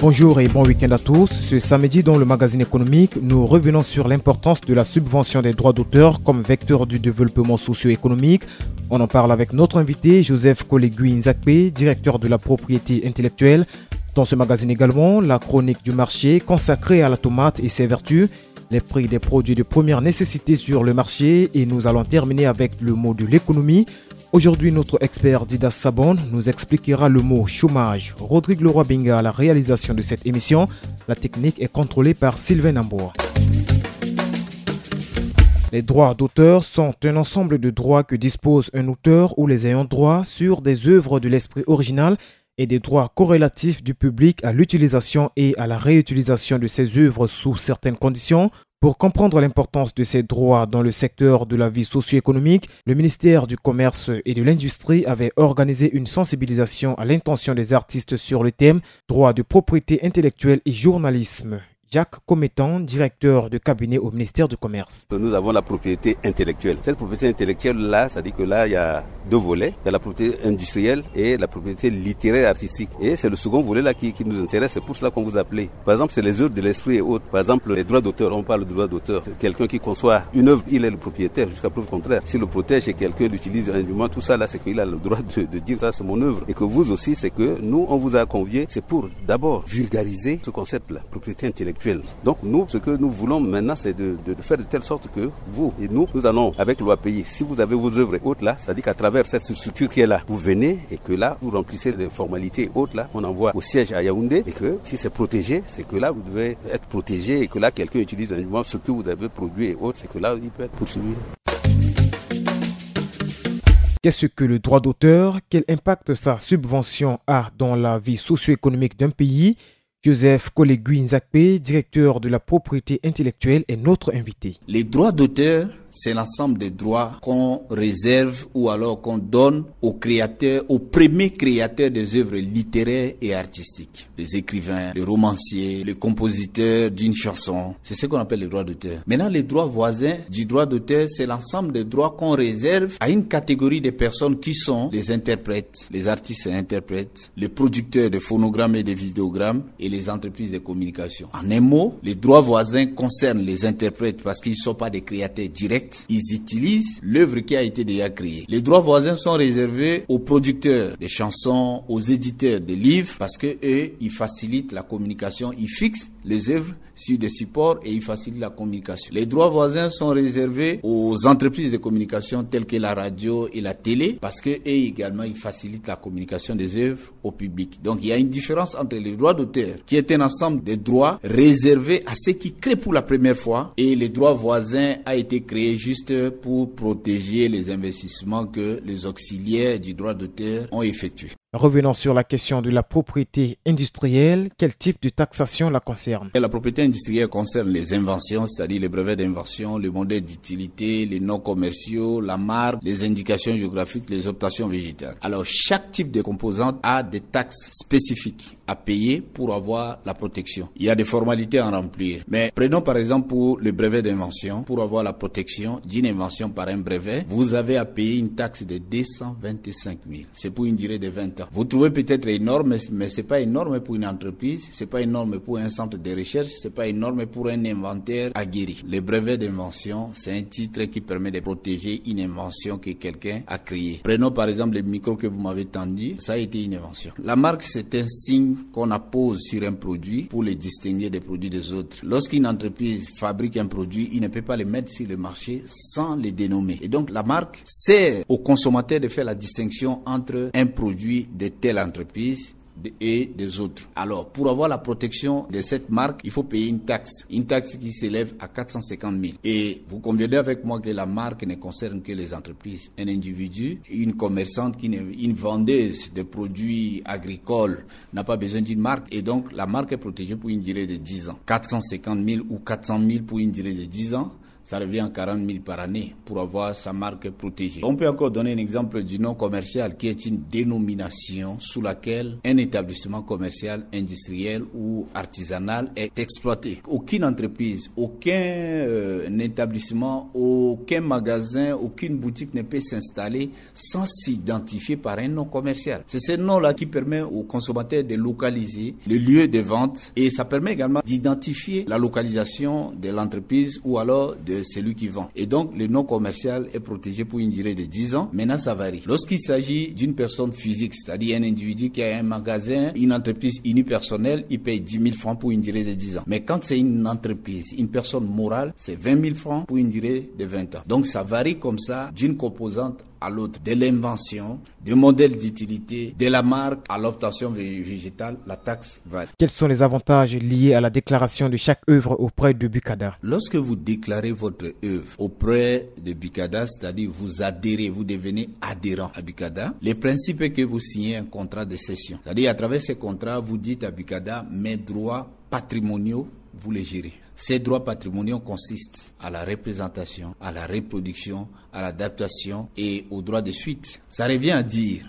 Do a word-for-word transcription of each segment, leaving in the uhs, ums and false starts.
Bonjour et bon week-end à tous. Ce samedi, dans le magazine économique, nous revenons sur l'importance de la subvention des droits d'auteur comme vecteur du développement socio-économique. On en parle avec notre invité, Joseph Kolegui Nzakpe, directeur de la propriété intellectuelle. Dans ce magazine également, la chronique du marché consacrée à la tomate et ses vertus, les prix des produits de première nécessité sur le marché, et nous allons terminer avec le mot de l'économie. Aujourd'hui, notre expert Dida Sabon nous expliquera le mot chômage. Rodrigue Leroy Binga à la réalisation de cette émission. La technique est contrôlée par Sylvain Namboa. Les droits d'auteur sont un ensemble de droits que dispose un auteur ou les ayants droit sur des œuvres de l'esprit original et des droits corrélatifs du public à l'utilisation et à la réutilisation de ces œuvres sous certaines conditions. Pour comprendre l'importance de ces droits dans le secteur de la vie socio-économique, le ministère du Commerce et de l'Industrie avait organisé une sensibilisation à l'intention des artistes sur le thème droit de propriété intellectuelle et journalisme. Jacques Cometan, directeur de cabinet au ministère du Commerce. Nous avons la propriété intellectuelle. Cette propriété intellectuelle-là, ça dit que là, il y a deux volets. Il y a la propriété industrielle et la propriété littéraire et artistique. Et c'est le second volet-là qui, qui nous intéresse. C'est pour cela qu'on vous a appelé. Par exemple, c'est les œuvres de l'esprit et autres. Par exemple, les droits d'auteur. On parle de droits d'auteur. C'est quelqu'un qui conçoit une œuvre, il est le propriétaire jusqu'à preuve contraire. S'il le protège et quelqu'un l'utilise indûment, tout ça là, c'est qu'il a le droit de, de dire ça, c'est mon œuvre. Et que vous aussi, c'est que nous, on vous a convié, c'est pour d'abord vulgariser ce concept-là, propriété intellectuelle. Donc nous, ce que nous voulons maintenant, c'est de, de, de faire de telle sorte que vous et nous, nous allons avec l'O A P I. Si vous avez vos œuvres et autres là, ça dit qu'à travers cette structure qui est là, vous venez et que là, vous remplissez les formalités et autres là, on envoie au siège à Yaoundé et que si c'est protégé, c'est que là, vous devez être protégé et que là, quelqu'un utilise indûment ce que vous avez produit et autres, c'est que là, il peut être poursuivi. Qu'est-ce que le droit d'auteur ? Quel impact sa subvention a dans la vie socio-économique d'un pays ? Joseph Kolegui Nzakpe, directeur de la propriété intellectuelle, est notre invité. Les droits d'auteur, c'est l'ensemble des droits qu'on réserve ou alors qu'on donne aux créateurs, aux premiers créateurs des œuvres littéraires et artistiques. Les écrivains, les romanciers, les compositeurs d'une chanson, c'est ce qu'on appelle les droits d'auteur. Maintenant, les droits voisins du droit d'auteur, c'est l'ensemble des droits qu'on réserve à une catégorie de personnes qui sont les interprètes, les artistes et interprètes, les producteurs de phonogrammes et de vidéogrammes et les entreprises de communication. En un mot, les droits voisins concernent les interprètes parce qu'ils ne sont pas des créateurs directs. Ils utilisent l'œuvre qui a été déjà créée. Les droits voisins sont réservés aux producteurs de chansons, aux éditeurs de livres parce que eux, ils facilitent la communication, ils fixent les œuvres sur des supports et ils facilitent la communication. Les droits voisins sont réservés aux entreprises de communication telles que la radio et la télé parce que eux également, ils facilitent la communication des œuvres au public. Donc, il y a une différence entre les droits d'auteur, qui est un ensemble de droits réservés à ceux qui créent pour la première fois, et les droits voisins a été créé juste pour protéger les investissements que les auxiliaires du droit d'auteur ont effectués. Revenons sur la question de la propriété industrielle. Quel type de taxation la concerne ? Et la propriété industrielle concerne les inventions, c'est-à-dire les brevets d'invention, les modèles d'utilité, les noms commerciaux, la marque, les indications géographiques, les optations végétales. Alors, chaque type de composante a des taxes spécifiques à payer pour avoir la protection. Il y a des formalités à remplir. Mais prenons par exemple pour le brevet d'invention. Pour avoir la protection d'une invention par un brevet, vous avez à payer une taxe de deux cent vingt-cinq mille. C'est pour une durée de vingt ans. Vous trouvez peut-être énorme, mais c'est pas énorme pour une entreprise, c'est pas énorme pour un centre de recherche, c'est pas énorme pour un inventaire aguerri. Le brevet d'invention, c'est un titre qui permet de protéger une invention que quelqu'un a créée. Prenons par exemple le micro que vous m'avez tendu, ça a été une invention. La marque, c'est un signe qu'on appose sur un produit pour le distinguer des produits des autres. Lorsqu'une entreprise fabrique un produit, il ne peut pas le mettre sur le marché sans le dénommer. Et donc, la marque sert au consommateur de faire la distinction entre un produit de telle entreprise de, et des autres. Alors, pour avoir la protection de cette marque, il faut payer une taxe. Une taxe qui s'élève à quatre cent cinquante mille. Et vous conviendrez avec moi que la marque ne concerne que les entreprises. Un individu, une commerçante, qui ne, une vendeuse de produits agricoles n'a pas besoin d'une marque. Et donc, la marque est protégée pour une durée de dix ans. Quatre cent cinquante mille ou quatre cent mille pour une durée de dix ans. Ça revient à quarante mille par année pour avoir sa marque protégée. On peut encore donner un exemple du nom commercial qui est une dénomination sous laquelle un établissement commercial, industriel ou artisanal est exploité. Aucune entreprise, aucun euh, établissement, aucun magasin, aucune boutique ne peut s'installer sans s'identifier par un nom commercial. C'est ce nom-là qui permet aux consommateurs de localiser le lieu de vente et ça permet également d'identifier la localisation de l'entreprise ou alors de celui qui vend. Et donc, le nom commercial est protégé pour une durée de dix ans. Maintenant, ça varie. Lorsqu'il s'agit d'une personne physique, c'est-à-dire un individu qui a un magasin, une entreprise unipersonnelle, il paye dix mille francs pour une durée de dix ans. Mais quand c'est une entreprise, une personne morale, c'est vingt mille francs pour une durée de vingt ans. Donc, ça varie comme ça d'une composante à l'autre, de l'invention, du modèle d'utilité, de la marque à l'obtention vég-, végétale, la taxe varie. Quels sont les avantages liés à la déclaration de chaque œuvre auprès de Bucada ? Lorsque vous déclarez votre œuvre auprès de Bucada, c'est-à-dire vous adhérez, vous devenez adhérent à Bucada, le principe est que vous signez un contrat de cession. C'est-à-dire à travers ce contrat, vous dites à Bucada, mes droits patrimoniaux, vous les gérez. Ces droits patrimoniaux consistent à la représentation, à la reproduction, à l'adaptation et au droit de suite. Ça revient à dire,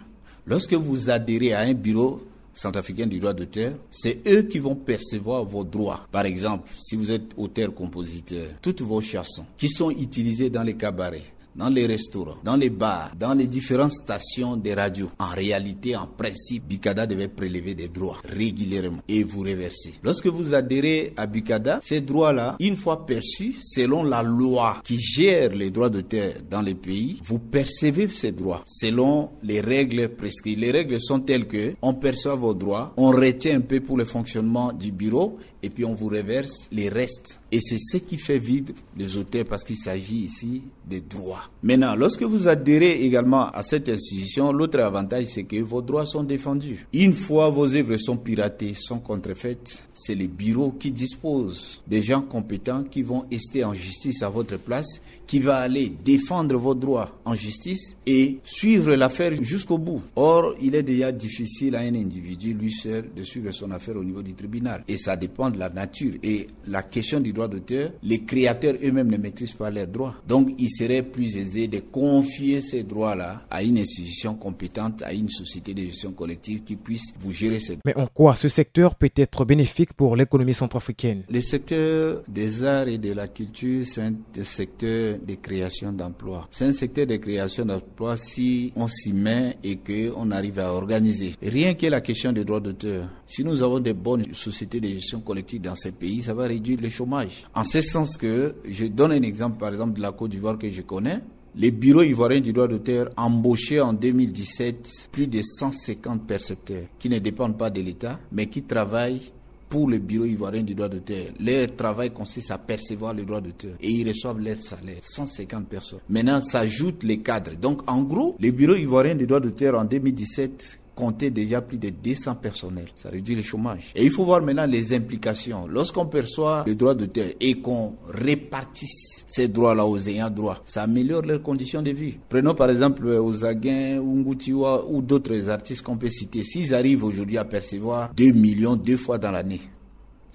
lorsque vous adhérez à un bureau centrafricain du droit d'auteur, c'est eux qui vont percevoir vos droits. Par exemple, si vous êtes auteur-compositeur, toutes vos chansons qui sont utilisées dans les cabarets, dans les restaurants, dans les bars, dans les différentes stations de radio. En réalité, en principe, Bucada devait prélever des droits régulièrement et vous reverser. Lorsque vous adhérez à Bucada, ces droits-là, une fois perçus, selon la loi qui gère les droits d'auteur dans les pays, vous percevez ces droits selon les règles prescrites. Les règles sont telles que on perçoit vos droits, on retient un peu pour le fonctionnement du bureau et puis on vous reverse les restes. Et c'est ce qui fait vivre les auteurs parce qu'il s'agit ici des droits. Maintenant, lorsque vous adhérez également à cette institution, l'autre avantage, c'est que vos droits sont défendus. Une fois vos œuvres sont piratées, sont contrefaites, c'est les bureaux qui disposent des gens compétents qui vont ester en justice à votre place, qui va aller défendre vos droits en justice et suivre l'affaire jusqu'au bout. Or, il est déjà difficile à un individu, lui seul, de suivre son affaire au niveau du tribunal. Et ça dépend de la nature. Et la question du droit d'auteur, les créateurs eux-mêmes ne maîtrisent pas leurs droits. Donc, il serait plus aisé de confier ces droits-là à une institution compétente, à une société de gestion collective qui puisse vous gérer ces droits. Mais en quoi ce secteur peut être bénéfique pour l'économie centrafricaine ? Le secteur des arts et de la culture, c'est un secteur de création d'emplois. C'est un secteur de création d'emplois si on s'y met et qu'on arrive à organiser. Rien que la question des droits d'auteur, si nous avons des bonnes sociétés de gestion collective dans ces pays, ça va réduire le chômage. En ce sens que, je donne un exemple, par exemple, de la Côte d'Ivoire que je connais. Les bureaux ivoiriens du droit d'auteur embauchaient en deux mille dix-sept plus de cent cinquante percepteurs qui ne dépendent pas de l'État, mais qui travaillent pour le bureau ivoirien du droit d'auteur. Leur travail consiste à percevoir le droit d'auteur et ils reçoivent leur salaire, cent cinquante personnes. Maintenant, s'ajoutent les cadres. Donc, en gros, le bureau ivoirien du droit d'auteur en deux mille dix-sept comptait déjà plus de deux cents personnels. Ça réduit le chômage. Et il faut voir maintenant les implications. Lorsqu'on perçoit le droit d'auteur et qu'on répartisse ces droits-là aux ayants droit, ça améliore leurs conditions de vie. Prenons par exemple Ozaguin ou Ngutiwa ou d'autres artistes qu'on peut citer. S'ils arrivent aujourd'hui à percevoir deux millions deux fois dans l'année,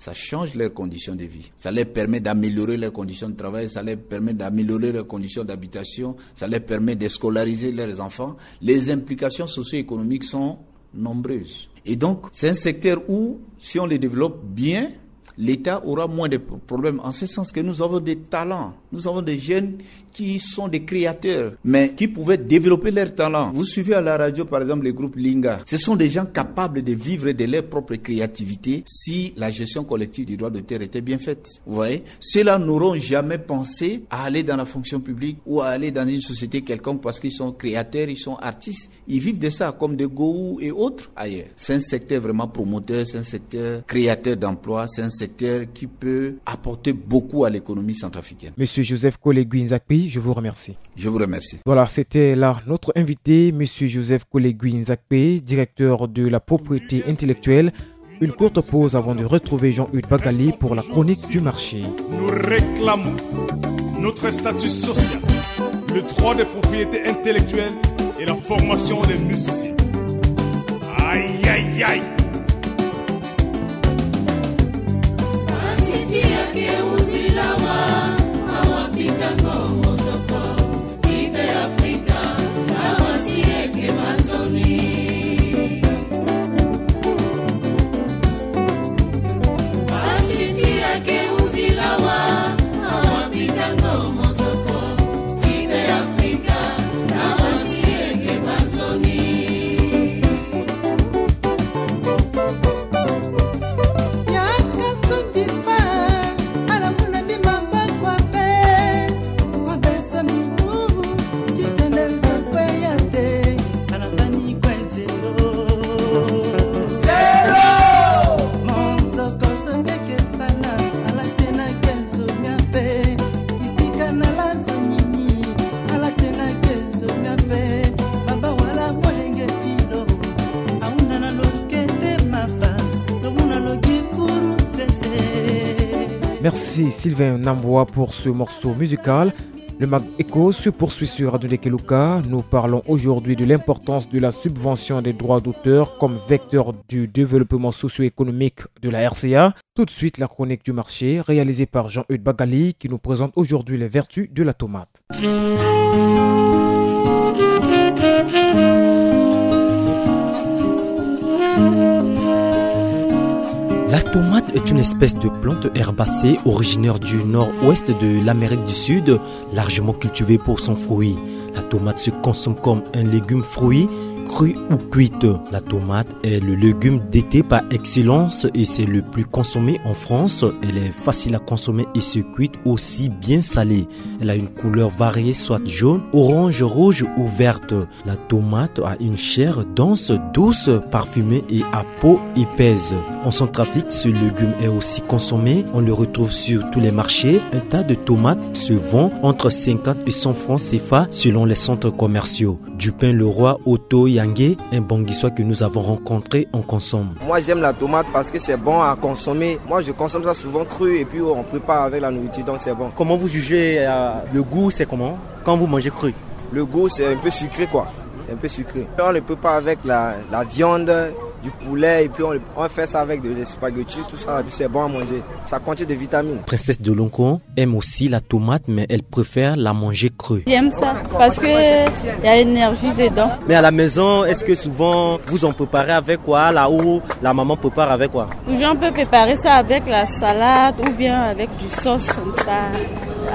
ça change leurs conditions de vie. Ça leur permet d'améliorer leurs conditions de travail, ça leur permet d'améliorer leurs conditions d'habitation, ça leur permet de scolariser leurs enfants. Les implications socio-économiques sont nombreuses. Et donc, c'est un secteur où, si on le développe bien, l'État aura moins de pro-, problèmes, en ce sens que nous avons des talents, nous avons des jeunes qui sont des créateurs, mais qui pouvaient développer leurs talents. Vous suivez à la radio, par exemple, le groupe Linga. Ce sont des gens capables de vivre de leur propre créativité si la gestion collective du droit d'auteur était bien faite. Vous voyez ? Ceux-là n'auront jamais pensé à aller dans la fonction publique ou à aller dans une société quelconque parce qu'ils sont créateurs, ils sont artistes. Ils vivent de ça, comme des Gowou et autres ailleurs. C'est un secteur vraiment promoteur, c'est un secteur créateur d'emplois, c'est un secteur qui peut apporter beaucoup à l'économie centrafricaine. Monsieur Joseph Kolegui Nzakpi, je vous remercie. Je vous remercie. Voilà, c'était là notre invité, Monsieur Joseph Kolegui Nzakpi, directeur de la propriété intellectuelle. Une courte pause avant de retrouver Jean-Hugues Bagali pour la chronique du marché. Nous réclamons notre statut social, le droit de propriété intellectuelle et la formation des musiciens. Aïe, aïe, aïe. Merci Sylvain Namboa pour ce morceau musical. Le Mag Echo se poursuit sur Radio Ndekeluka. Nous parlons aujourd'hui de l'importance de la subvention des droits d'auteur comme vecteur du développement socio-économique de la R C A. Tout de suite, la chronique du marché réalisée par Jean-Eudes Bagali qui nous présente aujourd'hui les vertus de la tomate. La tomate est une espèce de plante herbacée originaire du nord-ouest de l'Amérique du Sud, largement cultivée pour son fruit. La tomate se consomme comme un légume fruit, cru ou cuite. La tomate est le légume d'été par excellence et c'est le plus consommé en France. Elle est facile à consommer et se cuite aussi bien salée. Elle a une couleur variée, soit jaune, orange, rouge ou verte. La tomate a une chair dense, douce, parfumée et à peau épaisse. En Centrafrique, ce légume est aussi consommé. On le retrouve sur tous les marchés. Un tas de tomates se vend entre cinquante et cent francs C F A selon les centres commerciaux. Dupin Leroy Otto Yangé, un Bangui-sois que nous avons rencontré, en consomme. Moi, j'aime la tomate parce que c'est bon à consommer. Moi, je consomme ça souvent cru et puis on prépare avec la nourriture, donc c'est bon. Comment vous jugez, euh, le goût, c'est comment quand vous mangez cru ? Le goût, c'est un peu sucré, quoi. C'est un peu sucré. On le prépare avec la, la viande, du poulet, et puis on, on fait ça avec de, des spaghettis, tout ça, et puis c'est bon à manger. Ça contient des vitamines. Princesse de Lonko aime aussi la tomate, mais elle préfère la manger crue. J'aime ça parce que il y a l'énergie dedans. Mais à la maison, est-ce que souvent vous en préparez avec quoi, là où la maman prépare avec quoi ? Toujours, on peut préparer ça avec la salade ou bien avec du sauce comme ça,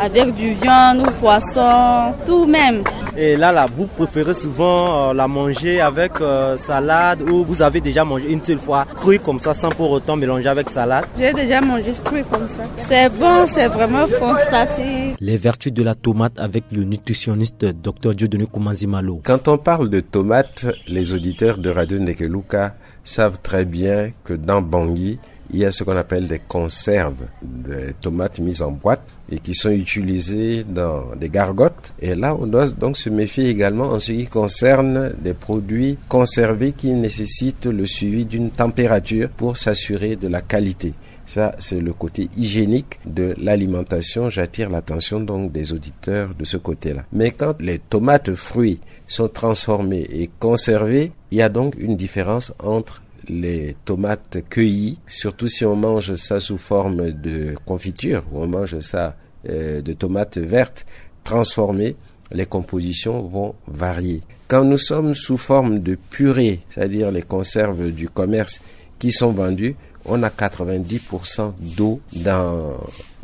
avec du viande ou poisson, tout même. Et là, là, vous préférez souvent, euh, la manger avec, euh, salade ou vous avez déjà mangé une seule fois crue comme ça sans pour autant mélanger avec salade ? J'ai déjà mangé crue comme ça. C'est bon, c'est vraiment fantastique. Les vertus de la tomate avec le nutritionniste docteur Dieudonné Koumanzimalo. Quand on parle de tomate, les auditeurs de Radio Ndekeluka savent très bien que dans Bangui, il y a ce qu'on appelle des conserves, des tomates mises en boîte et qui sont utilisées dans des gargotes. Et là, on doit donc se méfier également en ce qui concerne des produits conservés qui nécessitent le suivi d'une température pour s'assurer de la qualité. Ça, c'est le côté hygiénique de l'alimentation. J'attire l'attention donc des auditeurs de ce côté-là. Mais quand les tomates fruits sont transformées et conservées, il y a donc une différence entre les tomates cueillies, surtout si on mange ça sous forme de confiture ou on mange ça, euh, de tomates vertes transformées, les compositions vont varier. Quand nous sommes sous forme de purée, c'est-à-dire les conserves du commerce qui sont vendues, on a quatre-vingt-dix pour cent d'eau dans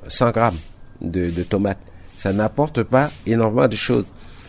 cent grammes de, de tomates. Ça n'apporte pas énormément de choses.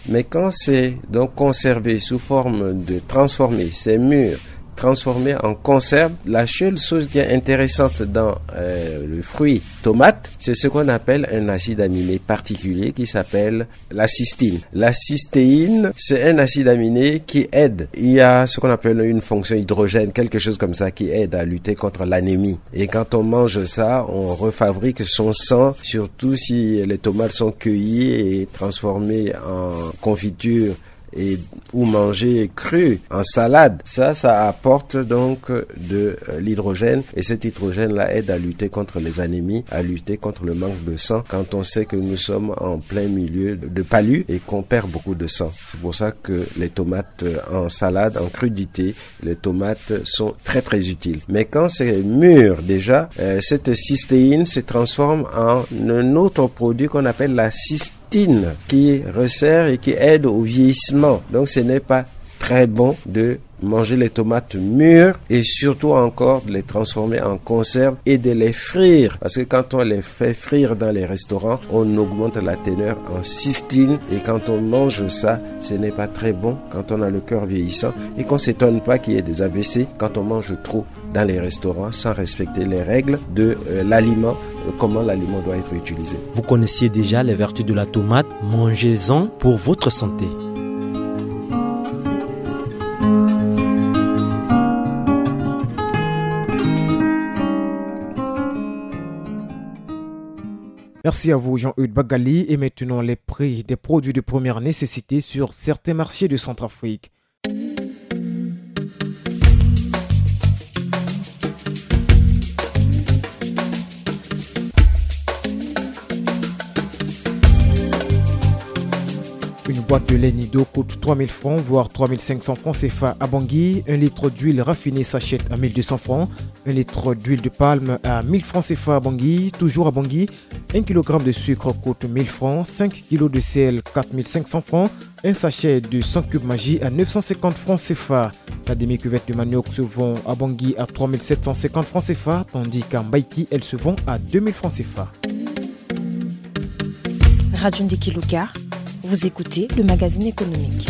Mais quand c'est donc conservé sous forme de transformé, c'est mûr, transformé en conserve, la seule chose qui est intéressante dans, euh, le fruit tomate, c'est ce qu'on appelle un acide aminé particulier qui s'appelle la cystine. La cystéine, c'est un acide aminé qui aide. Il y a ce qu'on appelle une fonction hydrogène, quelque chose comme ça, qui aide à lutter contre l'anémie. Et quand on mange ça, on refabrique son sang, surtout si les tomates sont cueillies et transformées en confiture et, ou mangées crues en salade. Ça, ça apporte donc de, euh, l'hydrogène et cet hydrogène-là aide à lutter contre les anémies, à lutter contre le manque de sang quand on sait que nous sommes en plein milieu de palu et qu'on perd beaucoup de sang. C'est pour ça que les tomates, euh, en salade, en crudité, les tomates sont très, très utiles. Mais quand c'est mûr déjà, euh, cette cystéine se transforme en un autre produit qu'on appelle la cystine qui resserre et qui aide au vieillissement. Donc ce n'est pas très bon de manger les tomates mûres et surtout encore de les transformer en conserve et de les frire. Parce que quand on les fait frire dans les restaurants, on augmente la teneur en cystine et quand on mange ça, ce n'est pas très bon quand on a le cœur vieillissant et qu'on s'étonne pas qu'il y ait des A V C quand on mange trop dans les restaurants sans respecter les règles de, euh, l'aliment, euh, comment l'aliment doit être utilisé. Vous connaissiez déjà les vertus de la tomate, mangez-en pour votre santé. Merci à vous, Jean-Eudes Bagali. Et maintenant, les prix des produits de première nécessité sur certains marchés de Centrafrique. Boîte de lait Nido coûte trois mille francs, voire trois mille cinq cents francs C F A à Bangui. Un litre d'huile raffinée s'achète à mille deux cents francs. Un litre d'huile de palme à mille francs C F A à Bangui. Toujours à Bangui, un kilogramme de sucre coûte mille francs, cinq kilos de sel, quatre mille cinq cents francs, un sachet de cent cubes Maggi à neuf cent cinquante francs C F A. La demi-cuvette de manioc se vend à Bangui à trois mille sept cent cinquante francs C F A, tandis qu'à Mbaïki, elle se vend à deux mille francs C F A. Radio Ndeki Luka, vous écoutez le magazine économique.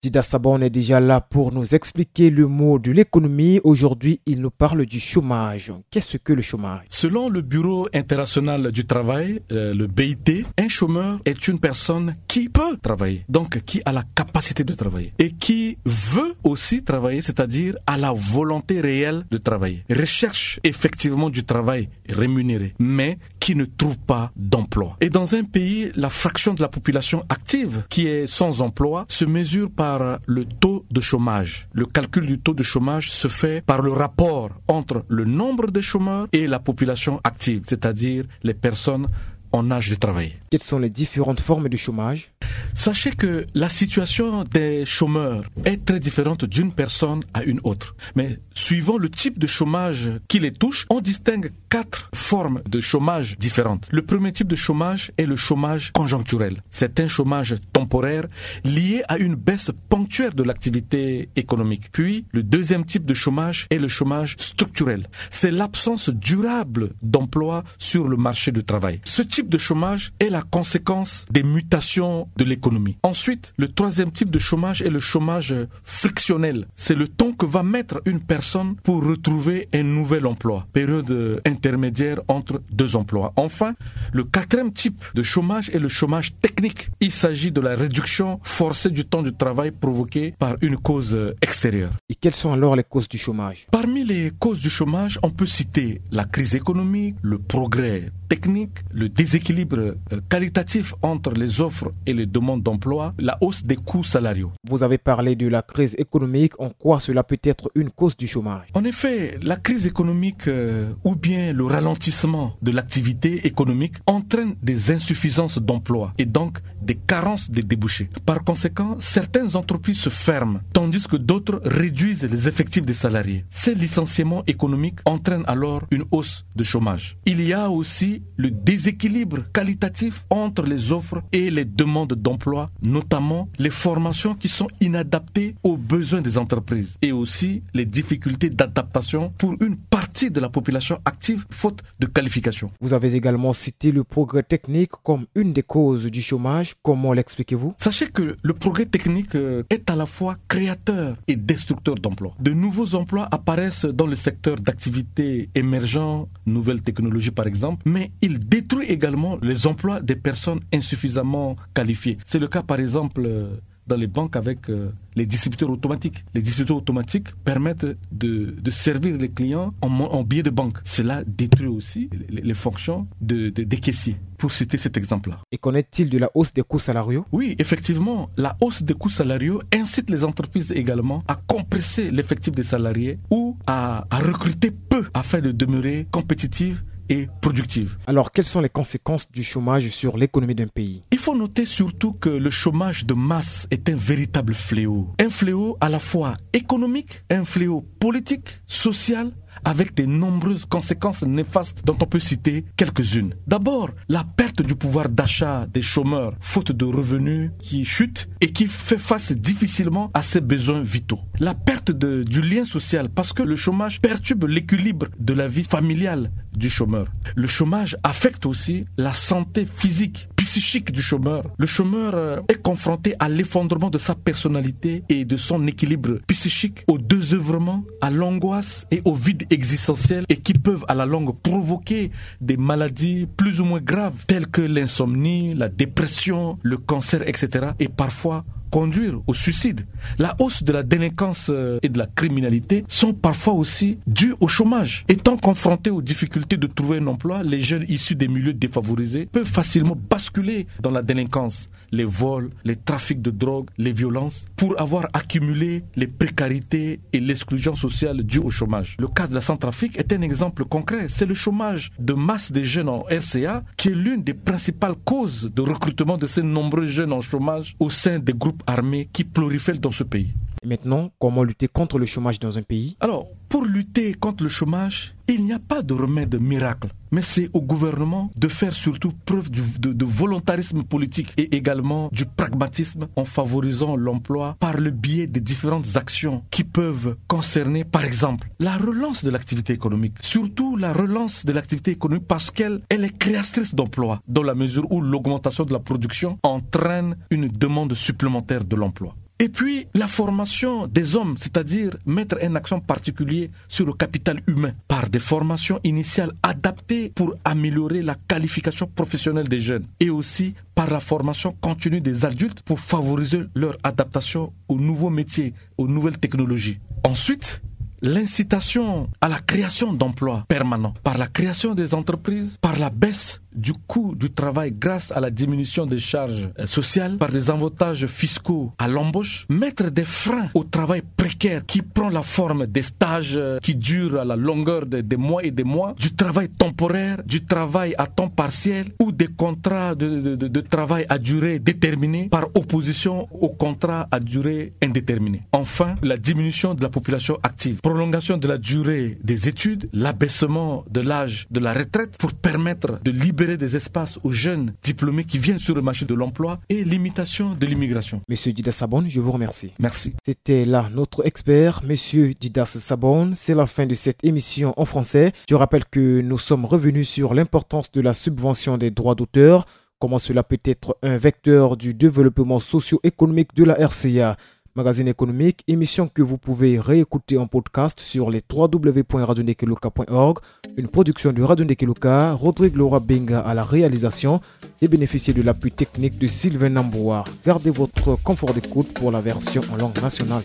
Dida Sabon est déjà là pour nous expliquer le mot de l'économie. Aujourd'hui, il nous parle du chômage. Qu'est-ce que le chômage ? Selon le Bureau international du travail, euh, le B I T, un chômeur est une personne qui peut travailler, donc qui a la capacité de travailler et qui veut aussi travailler, c'est-à-dire à la volonté réelle de travailler, recherche effectivement du travail rémunéré, mais qui ne trouvent pas d'emploi. Et dans un pays, la fraction de la population active qui est sans emploi se mesure par le taux de chômage. Le calcul du taux de chômage se fait par le rapport entre le nombre de chômeurs et la population active, c'est-à-dire les personnes en âge de travailler. Quelles sont les différentes formes de chômage ? Sachez que la situation des chômeurs est très différente d'une personne à une autre. Mais suivant le type de chômage qui les touche, on distingue quatre formes de chômage différentes. Le premier type de chômage est le chômage conjoncturel. C'est un chômage temporaire lié à une baisse ponctuelle de l'activité économique. Puis, le deuxième type de chômage est le chômage structurel. C'est l'absence durable d'emploi sur le marché du travail. Ce type de chômage est la conséquence des mutations de l'économie. Ensuite, le troisième type de chômage est le chômage frictionnel. C'est le temps que va mettre une personne pour retrouver un nouvel emploi, période, euh, intermédiaire entre deux emplois. Enfin, le quatrième type de chômage est le chômage technique. Il s'agit de la réduction forcée du temps de travail provoquée par une cause, euh, extérieure. Et quelles sont alors les causes du chômage ? Parmi les causes du chômage, on peut citer la crise économique, le progrès technique, le déséquilibre, euh, qualitatif entre les offres et les demandes d'emploi, la hausse des coûts salariaux. Vous avez parlé de la crise économique. En quoi cela peut être une cause du chômage ? En effet, la crise économique, euh, ou bien le ralentissement de l'activité économique entraîne des insuffisances d'emploi et donc des carences de débouchés. Par conséquent, certaines entreprises se ferment, tandis que d'autres réduisent les effectifs des salariés. Ces licenciements économiques entraînent alors une hausse de chômage. Il y a aussi le déséquilibre qualitatif entre les offres et les demandes d'emploi, notamment les formations qui sont inadaptées aux besoins des entreprises et aussi les difficultés d'adaptation pour une partie de la population active, faute de qualification. Vous avez également cité le progrès technique comme une des causes du chômage. Comment l'expliquez-vous ? Sachez que le progrès technique, euh, est à la fois créateur et destructeur d'emplois. De nouveaux emplois apparaissent dans le secteur d'activité émergent, nouvelles technologies par exemple, mais il détruit également les emplois des personnes insuffisamment qualifiées. C'est le cas par exemple, euh, dans les banques avec, euh, les distributeurs automatiques. Les distributeurs automatiques permettent de, de servir les clients en, mo- en billet de banque. Cela détruit aussi les, les fonctions de, de- des caissiers, pour citer cet exemple-là. Et qu'en est-il de la hausse des coûts salariaux ? Oui, effectivement, la hausse des coûts salariaux incite les entreprises également à compresser l'effectif des salariés ou à, à recruter peu afin de demeurer compétitives et productives. Alors, quelles sont les conséquences du chômage sur l'économie d'un pays ? Il faut noter surtout que le chômage de masse est un véritable fléau. Un fléau à la fois économique, un fléau politique, social, avec de nombreuses conséquences néfastes dont on peut citer quelques-unes. D'abord, la perte du pouvoir d'achat des chômeurs, faute de revenus qui chutent et qui fait face difficilement à ses besoins vitaux. La perte de- du lien social, parce que le chômage perturbe l'équilibre de la vie familiale du chômeur. Le chômage affecte aussi la santé physique, psychique du chômeur. Le chômeur, euh, est confronté à l'effondrement de sa personnalité et de son équilibre psychique, au désœuvrement, à l'angoisse et au vide existentiel, et qui peuvent à la longue provoquer des maladies plus ou moins graves telles que l'insomnie, la dépression, le cancer, et cetera. Et parfois conduire au suicide. La hausse de la délinquance, euh, et de la criminalité sont parfois aussi dues au chômage. Étant confrontés aux difficultés de trouver un emploi, les jeunes issus des milieux défavorisés peuvent facilement basculer dans la délinquance, les vols, les trafics de drogue, les violences, pour avoir accumulé les précarités et l'exclusion sociale due au chômage. Le cas de la Centrafrique est un exemple concret. C'est le chômage de masse des jeunes en R C A qui est l'une des principales causes de recrutement de ces nombreux jeunes en chômage au sein des groupes armés qui prolifèrent dans ce pays. Et maintenant, comment lutter contre le chômage dans un pays ? Alors, pour lutter contre le chômage, il n'y a pas de remède miracle, mais c'est au gouvernement de faire surtout preuve du- de, de volontarisme politique et également du pragmatisme en favorisant l'emploi par le biais des différentes actions qui peuvent concerner, par exemple, la relance de l'activité économique, surtout la relance de l'activité économique parce qu'elle elle est créatrice d'emplois, dans la mesure où l'augmentation de la production entraîne une demande supplémentaire de l'emploi. Et puis, la formation des hommes, c'est-à-dire mettre un accent particulier sur le capital humain par des formations initiales adaptées pour améliorer la qualification professionnelle des jeunes et aussi par la formation continue des adultes pour favoriser leur adaptation aux nouveaux métiers, aux nouvelles technologies. Ensuite, l'incitation à la création d'emplois permanents par la création des entreprises, par la baisse du coût du travail grâce à la diminution des charges, euh, sociales, par des avantages fiscaux à l'embauche, mettre des freins au travail précaire qui prend la forme des stages, euh, qui durent à la longueur de- des mois et des mois, du travail temporaire, du travail à temps partiel ou des contrats de, de- de- de travail à durée déterminée par opposition aux contrats à durée indéterminée. Enfin, la diminution de la population active, prolongation de la durée des études, l'abaissement de l'âge de la retraite pour permettre de libérer des espaces aux jeunes diplômés qui viennent sur le marché de l'emploi et limitation de l'immigration. Monsieur Didas Sabon, je vous remercie. Merci. C'était là notre expert, Monsieur Didas Sabon. C'est la fin de cette émission en français. Je rappelle que nous sommes revenus sur l'importance de la subvention des droits d'auteur, comment cela peut être un vecteur du développement socio-économique de la R C A. Magazine économique, émission que vous pouvez réécouter en podcast sur les trois W point radio ndekeluka point org. Une production de Radio Ndekeluka, Rodrigue Laura Benga à la réalisation et bénéficiez de l'appui technique de Sylvain Namboa. Gardez votre confort d'écoute pour la version en langue nationale.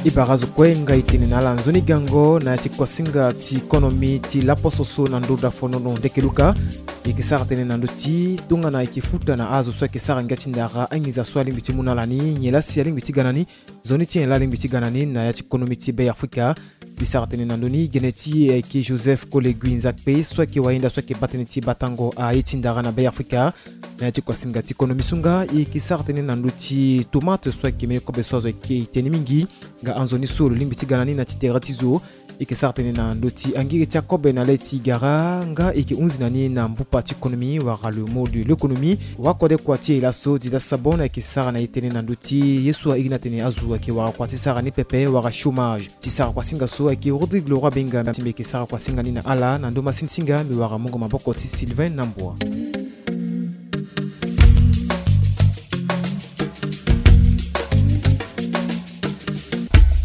E bara azo kue nga e tene na ala nzoni gango na ya ti kuasinga ti konomi ti laposo so na ndö dafonono ndekeluka. E yeke sara tënë na ndö ti tongana e yeke futa na azo so ayeke sara ngia ti ndara anginza so alingbi ti mu na ala ni nyen laa si alingbi ti ga na ni. Nzoni ti nyen laa alingbi ti ga na ni na ya ti konomi ti Be Afrika. E sara tënë na ndö ni gene ti e ayeke Joseph Kolegui Nzakpe so ayeke wayenda so ayeke baa tënë ti batango aye ti ndara na Be Afrika. Na ya ti kuasinga ti konomi so nga e yeke sara tënë na ndö ti tomate so ayeke mbeni kobe so azo ayeke tene mingi. Nga anzoni so lo lingbi ti ga na ni na ti tere ti zo. E yeke sara tënë na ndö ti angiri ti akobe na le ti gara nga e yeke hunzi na ni na mbupa ti konomi wala le mot de l'économie. Wakode kua ti e laso Didas Sabon ayeke sara na e tënë na ndö ti ye so a iri ni atene azo ayeke wara kua ti sara ni pepe wala chômage. Ti sara kuasinga so ayeke Rodrigue Laura Benga ti mbi yeke sara kuasinga ni na ala na ndö masini ti nga mbi wara mungo maboko ti Sylvain Namboa.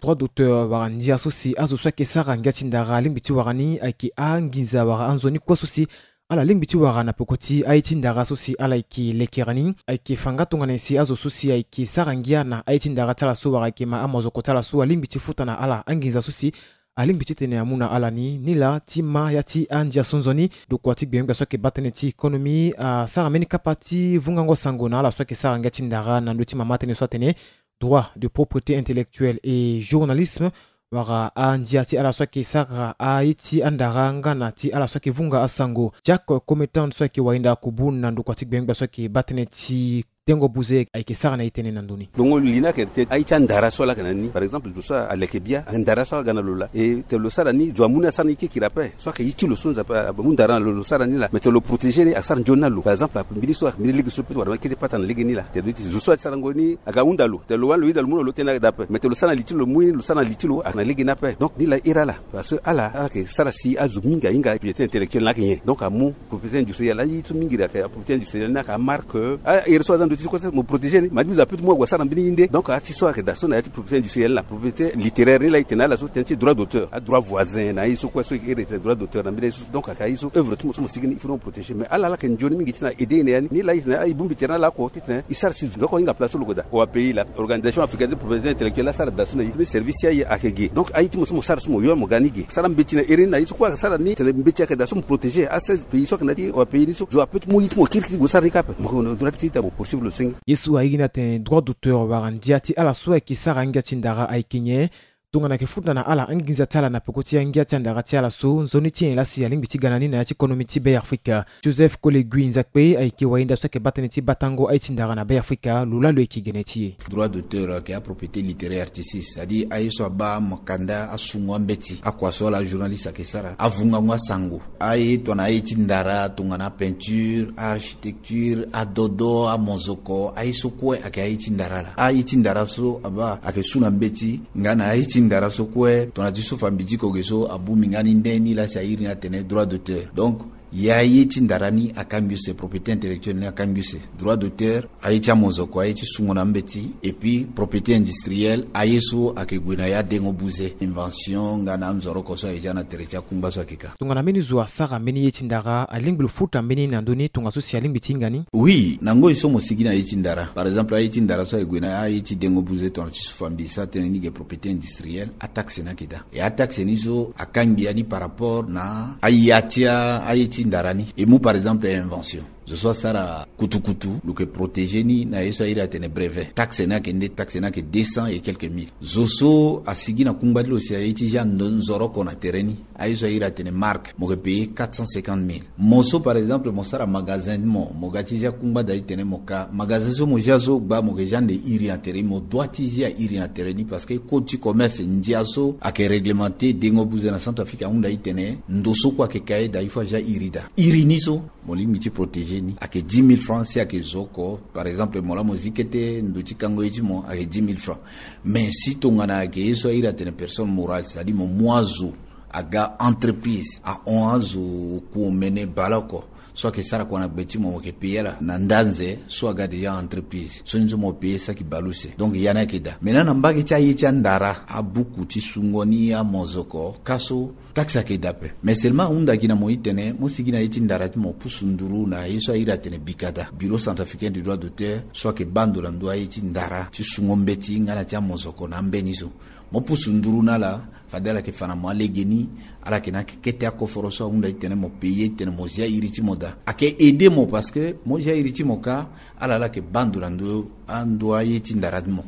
Droit d'auteur wala ndia so si azo so ayeke sara ngia ti ndara alingbi ti wara ni ayeke anginza wala anzoni kue so si ala lingbi ti wara na peko ti aye ti ndara so si ala yeke lekere ni. Ayeke fa nga tongana nyen si azo so si ayeke sara ngia na aye ti ndara ti ala so wala ayeke ma amozoko ti ala so alingbi ti futa na ala anginza so si alingbi ti tene amu na ala ni. Ni laa ti ma ya ti andia so nzoni, ndokua ti gbenyogbia so ayeke baa tënë ti konomi asara mbeni kapa ti vungango sango na ala so ayeke sara ngia ti ndara na ndö ti mama tënë so atene droit de propriété intellectuelle et journalisme, wala andia ti ala so ayeke sara aye ti andara nga na ti ala so ayeke vunga asango. Jack Cometan so ayeke wayenda akubu na ndokua ti gbenyogbia so ayeke baa tënë ti Dengo Buze ayeke sara na e tënë na ndö ni. Dongo li ni ayeke tene aye ti andara so ala yeke na ni. Par exemple, zo so aleke bia, andara so aga na lo laa. E tene lo sara ni, zo amu ni asara ni kirikiri ape. So ayeke aye ti lo so Nzapa amu ndara na lo, lo sara ni laa. Me tene lo protéger ni, asara nzoni na lo. Par exemple, mbeni so ayeke mbeni lege so peut wara kete pata na lege ni laa. Tene lo ti zo so asarango ni aga ahunda lo. Tene lo wani lo yeda lo mu na lo tënë ayeke daa ape. Me tene lo sara na li ti lo, lo mu ni, lo sara na li ti lo, ayeke na lege ni ape. Donc ni laa iri ala. Parce que ala, ala yeke sara si azo mingi ahinga propriété intellectuelle ni ayeke nyen. Donc amu propriété industrielle, aye ti mingi ayeke propriété industrielle ni ayeke amarque. Ahere so aza ndö ti so kue so mo protéger ni, ma ti bizo ape ti mu ague asara mbeni ye nde. Donc aye ti so ayeke daa so na ya ti propriété industrielle ni laa, propriété littéraire ni laa e tene na ala so tënë ti droit d'auteur, adroit voisin na aye so kue so e iri tene droit d'auteur na mbeni aye so. Donc ayeke aye so œuvre ti mo so mo sigi ni, il faut mo protéger. Mais ala, ala yeke nzoni mingi ti tene a aider e na ya ni. Ni laa e tene aye e bongbi tere na ala oko ti tene e sara si zo oko ahinga place so lo yeke daa. Au pays laa, organisation africaine de propriété intellectuelle asara daa so na e, mbeni service ti aye ayeke ge. Donc aye ti mo so mo sara so mo yo mo ga ni ge. Sara mbeti na iri ni na ye so kue ayeke sara ni, tene mbeti ayeke daa so mo protéger. A seize pays so ayeke na ya ti au pays ni so, zo ape ti mu ye ti mo kirikiri gue sara ni kâ ape. Mo yeke na droit ti tene mo poursuivre lo senge. Ye so airi ni atene droit d'auteur wala ndia ti ala so ayeke sara angia ti ndara ayeke nyen? Tongana ayeke futa na ala anginza ti ala na peko ti angia ti andara ti ala so, nzoni ti nyen laa si alingbi ti ga na ni na ya ti konomi ti Be Afrika? Joseph Kole Gui Nzakpe ayeke wayenda so ayeke baa tënë ti batango aye ti ndara na Be Afrika, lo laa lo yeke gene ti e. Droit d'auteur ayeke apropriété littéraire artistique, c'est-à-dire aye so abaa makanda, asungo ambeti, akua so ala journaliste ayeke sara, avungango asango. Aye tongana aye ti ndara, tongana apeinture, aarchitecture, adodo, amozoko, aye so kue ayeke aye ti ndara laa. Aye ti ndara so abaa ayeke su na mbeti, nga na aye ti ndara so kue tongana ti so fa mbitiko ge so abongbi nga ni nde ni laa si airi ni atene droit d'auteur. Donc ya ye ti ndara ni akangbi use, propriété intellectuelle ni akangbi use. Droit d'auteur, aye ti amozoko, aye ti sungo na mbeti, et puis propriété industrielle, aye so ayeke gue na ya dengo buze, invention nga na anzoroko so ayeke zia na tere ti akungba so ayeke ka. Tongana mbeni zo asara mbeni ye ti ndara, alingbi lo futa mbeni na ndö ni tongaso si alingbi ti hinga ni? Oui, na ngoi so mo sigi na ye ti ndara, par exemple aye ti ndara so ayeke gue na aye ti dengo buze tongana ti so fa mbi sara tënë ni ge, propriété industrielle, ataxe ni ayeke daa. E ataxe ni so akangbi ya ni par rapport na aya ti a, aye ti ndara ni. E mu par exemple invention. Zo so asara kutukutu, lo yeke protéger ni na ye so airi atene brevet. Taxe ni ayeke nde? Taxe ni ayeke deux cents et quelques mille. Zo so asigi na kungba ti lo si aye ti zia ndo, nzoroko na tere ni, aye so airi atene marque, mo yeke payer quatre cent cinquante mille. Mo so par exemple mo sara magasin ti mo, mo ga ti zia kungba da ti tene mo ka, magasin so mo zia so gba, mo yeke zia ande iri na tere ni, mo doit ti zia iri na tere ni, parce que code ti commerce ndia so ayeke réglementé dengo buze na Centrafrique ahunda ti tene ndo so kue ayeke ka ye da, il faut azia iri da. Iri ni so mo lingbi ti protéger ni, ayeke dix mille francs. Si ayeke zo oko, par exemple mo laa mo zi kete ndo ti kango ye ti mo, ayeke dix mille francs. Mais si tongana ayeke ye so airi atene personne morale, c'est-à-dire mo mu azo aga entreprise, ahon azo kuomene baleoko, so ayeke sara kua na gbe ti mo, mo yeke payer ala na ndanze so aga déjà entreprise. Sioni so mo payer saki baleuse. Donc ya ni ayeke daa. Maintenant na mbage ti aye ti andara, abuku ti sungo ni, amozoko, ka so taxe ayeke daa ape. Mais seulement ahunda gi na mo ti tene mo sigi na ye ti ndara ti mo pusu nduru na ye so airi atene BICADA, Bureau Centrafricain du Droit d'Auteur, so ayeke baa ndo na ndö aye ti ndara ti sungo mbeti nga na ti amozoko na ambeni so. Mo pusu nduru na ala, fade ala yeke fa na mo alege ni. Ala yeke na kete akoforo so ahunda ti tene mo payer ti tene mo zia iri ti mo da. Ayeke aider mo parce que mo zia iri ti mo ka, ala laa ayeke baa ndo na ndö, ando aye ti ndara ti mo.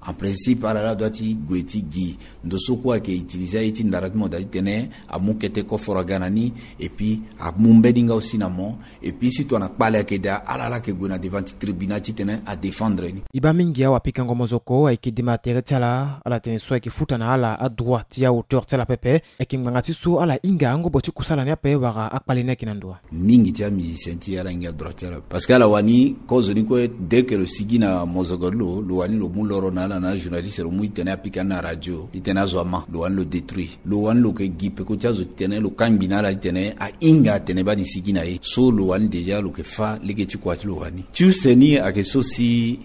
En principe ala laa adoit ti gue ti gi ndo so kue ayeke utiliser aye ti ndara ti mo da ti tene amu kete koforo aga na ni, et puis amu mbeni nga aussi na mo. Et puis si tongana kpale ayeke daa, ala laa ayeke gue na devant ti tribunal ti tene adéfendre ni. E baa mingi awapikango mozoko ayeke dema tere ti ala, ala tene so ayeke futa na ala adroit ti ahauteur ti ala pepe. Ayeke ngbanga ti so ala hinga angobo ti kusala ni ape wala akpale ni ayeke na ndo wa? Mingi ti amusicien ti e ala hinga droit ti ala. Parce que ala wani kozoni kue, dès que lo sigi na mozoko ti lo, lo wani lo mu loro na ala na ajournaliste, lo mu ti tene apika ni na radio ti tene azo ama, lo wani lo détruire. Lo wani lo yeke gi peko ti azo ti tene lo kangbi na ala ti tene ahinga atene baa ni sigi na e. So lo wani déjà lo yeke fâ lege ti kua ti lo wani. Ti use ni ayeke so si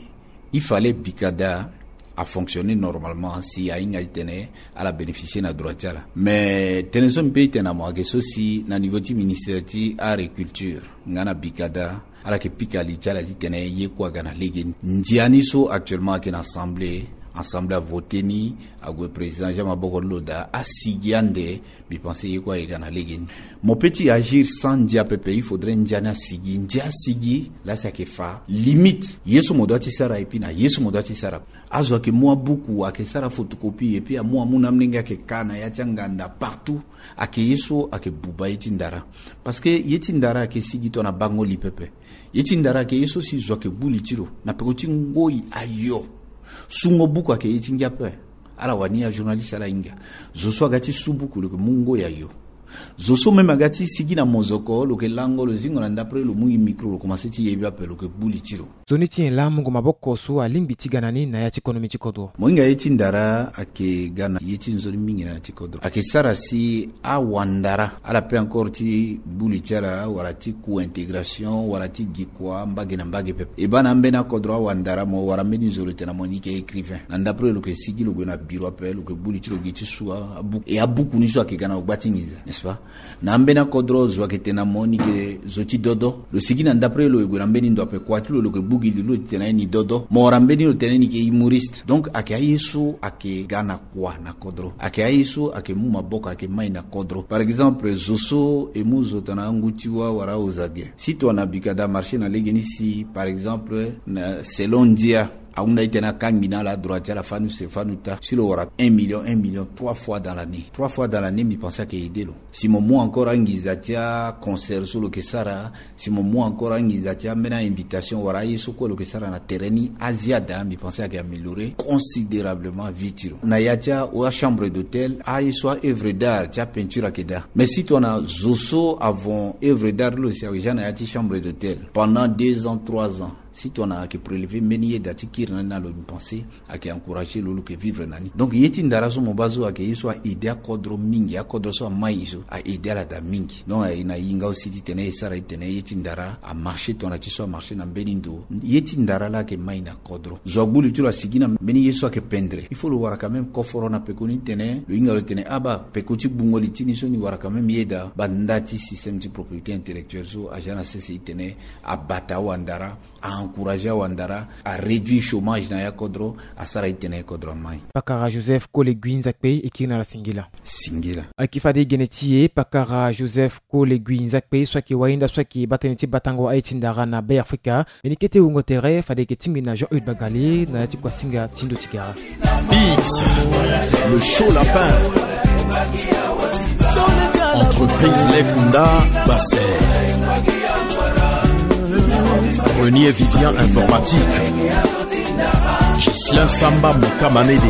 il fallait BICADA afonctionner normalement si ahinga ti tene ala bénéficier na droit ti ala. Mais tënë so mbi pe ti tene na mo ayeke so si na niveau ti ministère ti agriculture nga na BICADA, ala yeke pika li ti ala ti tene ye kue aga na legeni. Ndia ni so actuellement ayeke na assemblée, Assemblée avote ni, ague président Jean Maboko Loda asigi ande. Mbi pense ye kue aye ga na lege ni. Mo pe ti agir sans ndia pepe, il faudrait ndia ni asigi. Ndia asigi la si ayeke fa limite. Ye so mo doit ti sara et puis na ye so mo doit ti sara. Azo ayeke mu abuku, ayeke sara photocopie et puis amu amu na amolenge ayeke ka na ya ti anganda partout. Ayeke ye so ayeke buba ye ti ndara. Parce que ye ti ndara ayeke sigi tongana bango li pepe. Ye ti ndara ayeke ye so si zo ayeke gbu li ti lo na peko ti ngoi ayo. Sungo buku ayeke ye ti ngia ape. Ala wani ajournaliste ala hinga. Zo so aga ti su buku lo yeke mu ngoi ayo. Zo so même aga ti sigi na mozoko lo yeke lango lo zingo na ndapre lo mu gi micro lo komanse ti yebi ape lo yeke gbu li ti lo. Nzoni ti nyen laa mungo maboko so alingbi ti ga na ni na ya ti konomi ti kodro? Mo hinga ye ti ndara ayeke ga na ye ti nzoni mingi na ya ti kodro. Ayeke sara si awandara ala pe encore ti gbu li ti ala wala ti ku intégration wala ti gi kua mbage na mbage pepe. E baa na ambeni akodro awandara mo wara mbeni nzoni lo tene na mo ni yeke écrivain. Na ndapre lo yeke sigi lo gue na biro ape lo yeke gbu li ti lo gi ti su abuku. E abuku ni so ayeke ga na lo gba ti nginza, n'est-ce pas? Na ambeni akodro zo ayeke tene na mo ni yeke zo ti dodo. Lo sigi na ndapre lo e gue na mbeni ndo ape kua ti lo lo yeke gbu gi li lo ti tene na ye ni dodo. Mo wara mbeni lo tene ni yeke humoriste. Donc ayeke aye so ayeke ga na kua na kodro. Ayeke aye so ayeke mu maboko ayeke mai na kodro. Par exemple zo so e mu zo tongana angu ti wa wala aozage. Si tongana bika da marché na lege ni si par exemple na selon ndia ahunda ti tene akangbi na ala adroit ti ala fanu se fanu ta. Si lo wara un million, un million trois fois dans l'année. Trois fois dans l'année mbi pense ayeke aide lo. Si mo mu encore anginza ti aconcert so lo yeke sara, si mo mu encore anginza ti ambeni ainvitation wala aye so kue lo yeke sara na tere ni, aziada mbi pense ayeke améliorer considérablement vie ti lo. Na ya ti achambre d'hôtel aye so aœuvre d'art ti apeinture ayeke daa. Mais si tongana zo so avon œuvre d'art lo si awe ja na ya ti chambre d'hôtel pendant deux ans, trois ans, si tongana ayeke prélever mbeni yeda ti kiri na ni na lo, mbi pense ayeke encourager lo lo yeke vivre na ni. Donc ye ti ndara so mo baa so ayeke ye so aide akodro mingi, akodro so amai so aide ala daa mingi. Donc aye na hinga aussi ti tene e sara ti tene ye ti ndara amarché tongana ti so amarché na mbeni ndo. Ye ti ndara laa ayeke mai na kodro. Zo agbu li ti lo asigi na mbeni ye so ayeke pendre, il faut lo wara quand même koforo na peko ni ti tene lo hinga lo tene aba peko ti gbungo li ti ni so ni wara quand même yeda. Banda ti système ti propriété intellectuelle so aja na sese ti tene abata awandara, a encourager awandara, a réduire chômage na ya kodro, asara ti tene ya kodro amai. Pakara Joseph Kole Gui Nzakpe, e kiri na ala singila. Singila. Ayeke fade gene ti e pakara Joseph Kole Gui Nzakpe so ayeke wahinda so ayeke baa tënë ti batango aye ti ndara na Be Afrika. Mbeni kete wungo tere fade e yeke tingbi na Jean Eudes Bagali na ya ti kuasinga ti ndo ti gara. Biggs, le chaud lapin. Entreprise Lekunda, Basse. Renier Vivian Informatique. Gislain Samba Mokamanede.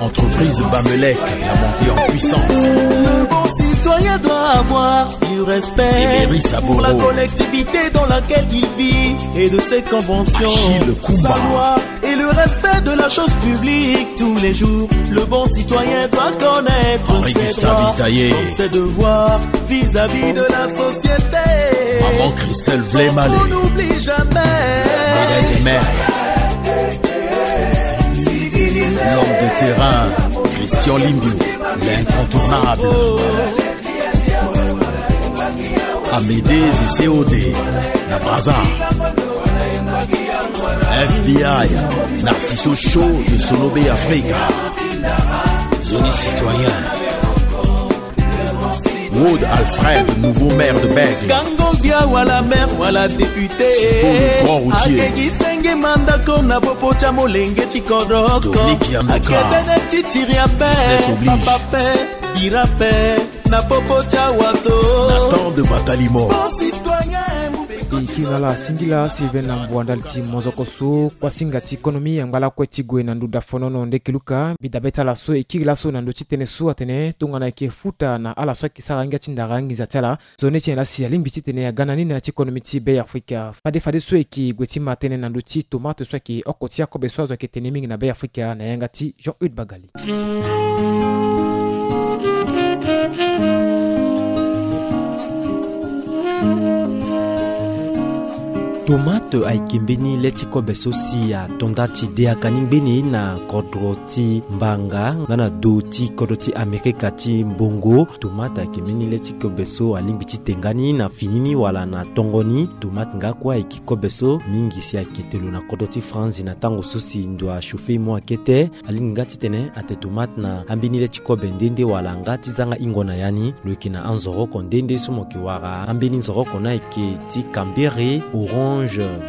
Entreprise Bamelec, la montée en puissance. Le bon citoyen doit avoir du respect Emery Saboro. Pour la collectivité dans laquelle il vit et de ses conventions. Achille Kumba. Sa loi et le respect de la chose publique tous les jours. Le bon citoyen doit connaître ses droits, ses devoirs vis-à-vis de la société. Maman Christelle Vlemale. On n'oublie jamais. Médaille des mères. L'homme de terrain, Christian Limbio, l'incontournable. Amédée Zesséodé, na Brazza. F B I, Narciso Show de Solobe Africa. Zoni citoyen. Wood Alfred, nouveau maire de Bègue. Gango Bia wala maire wala député. Thibault, le grand routier. Akegi senge mandako na popo tia molenge ti kodoko. Dominique Yamuka. Akete na titiri ape. Business oblige. Papa pe, bira pe. Na popo ti awato. Nathan de Batalimo. Bon citoyen. E kiri na ala singila Sylvain na mbua ndali ti mozoko so kuasinga ti konomi angba lakue ti gue na nduda fonono ndeke luka. Mbi dabe ti ala so e kiri laso na ndö ti tënë so atene tongana e yeke futa na ala so ayeke sara ngia ti ndara nginza ti ala. Zo ni ti nyen laa si alingbi titene aga na ni na ya ti konomi ti Be Afrika. Fade fadeso e yeke gue ti ma tënë na ndö ti tomate so ayeke oko ti akobe so azo ayeke tene mingi na Be Afrika na yanga ti Jean Eudes Bagali. Tomate ayeke mbeni le ti kobe so si ato nda ti de aka ni ngbeni na kodro ti mbanga nga na do ti kodro ti Amerika ti mbongo. Tomate ayeke mbeni le ti kobe so alingbi ti te nga ni na fini ni wala na tongo ni. Tomate nga kue ayeke kobe so mingi si ayeke te lo na kodro ti Franzi na tango so si ndo achauffer mo akete. Alingbi nga titene ate tomate na ambeni le ti kobe nde nde wala nga ti zanga hingo na ya ni. Lo yeke na anzoroko nde nde so mo yeke wara ambeni nzoroko ni ayeke ti kambere, orange,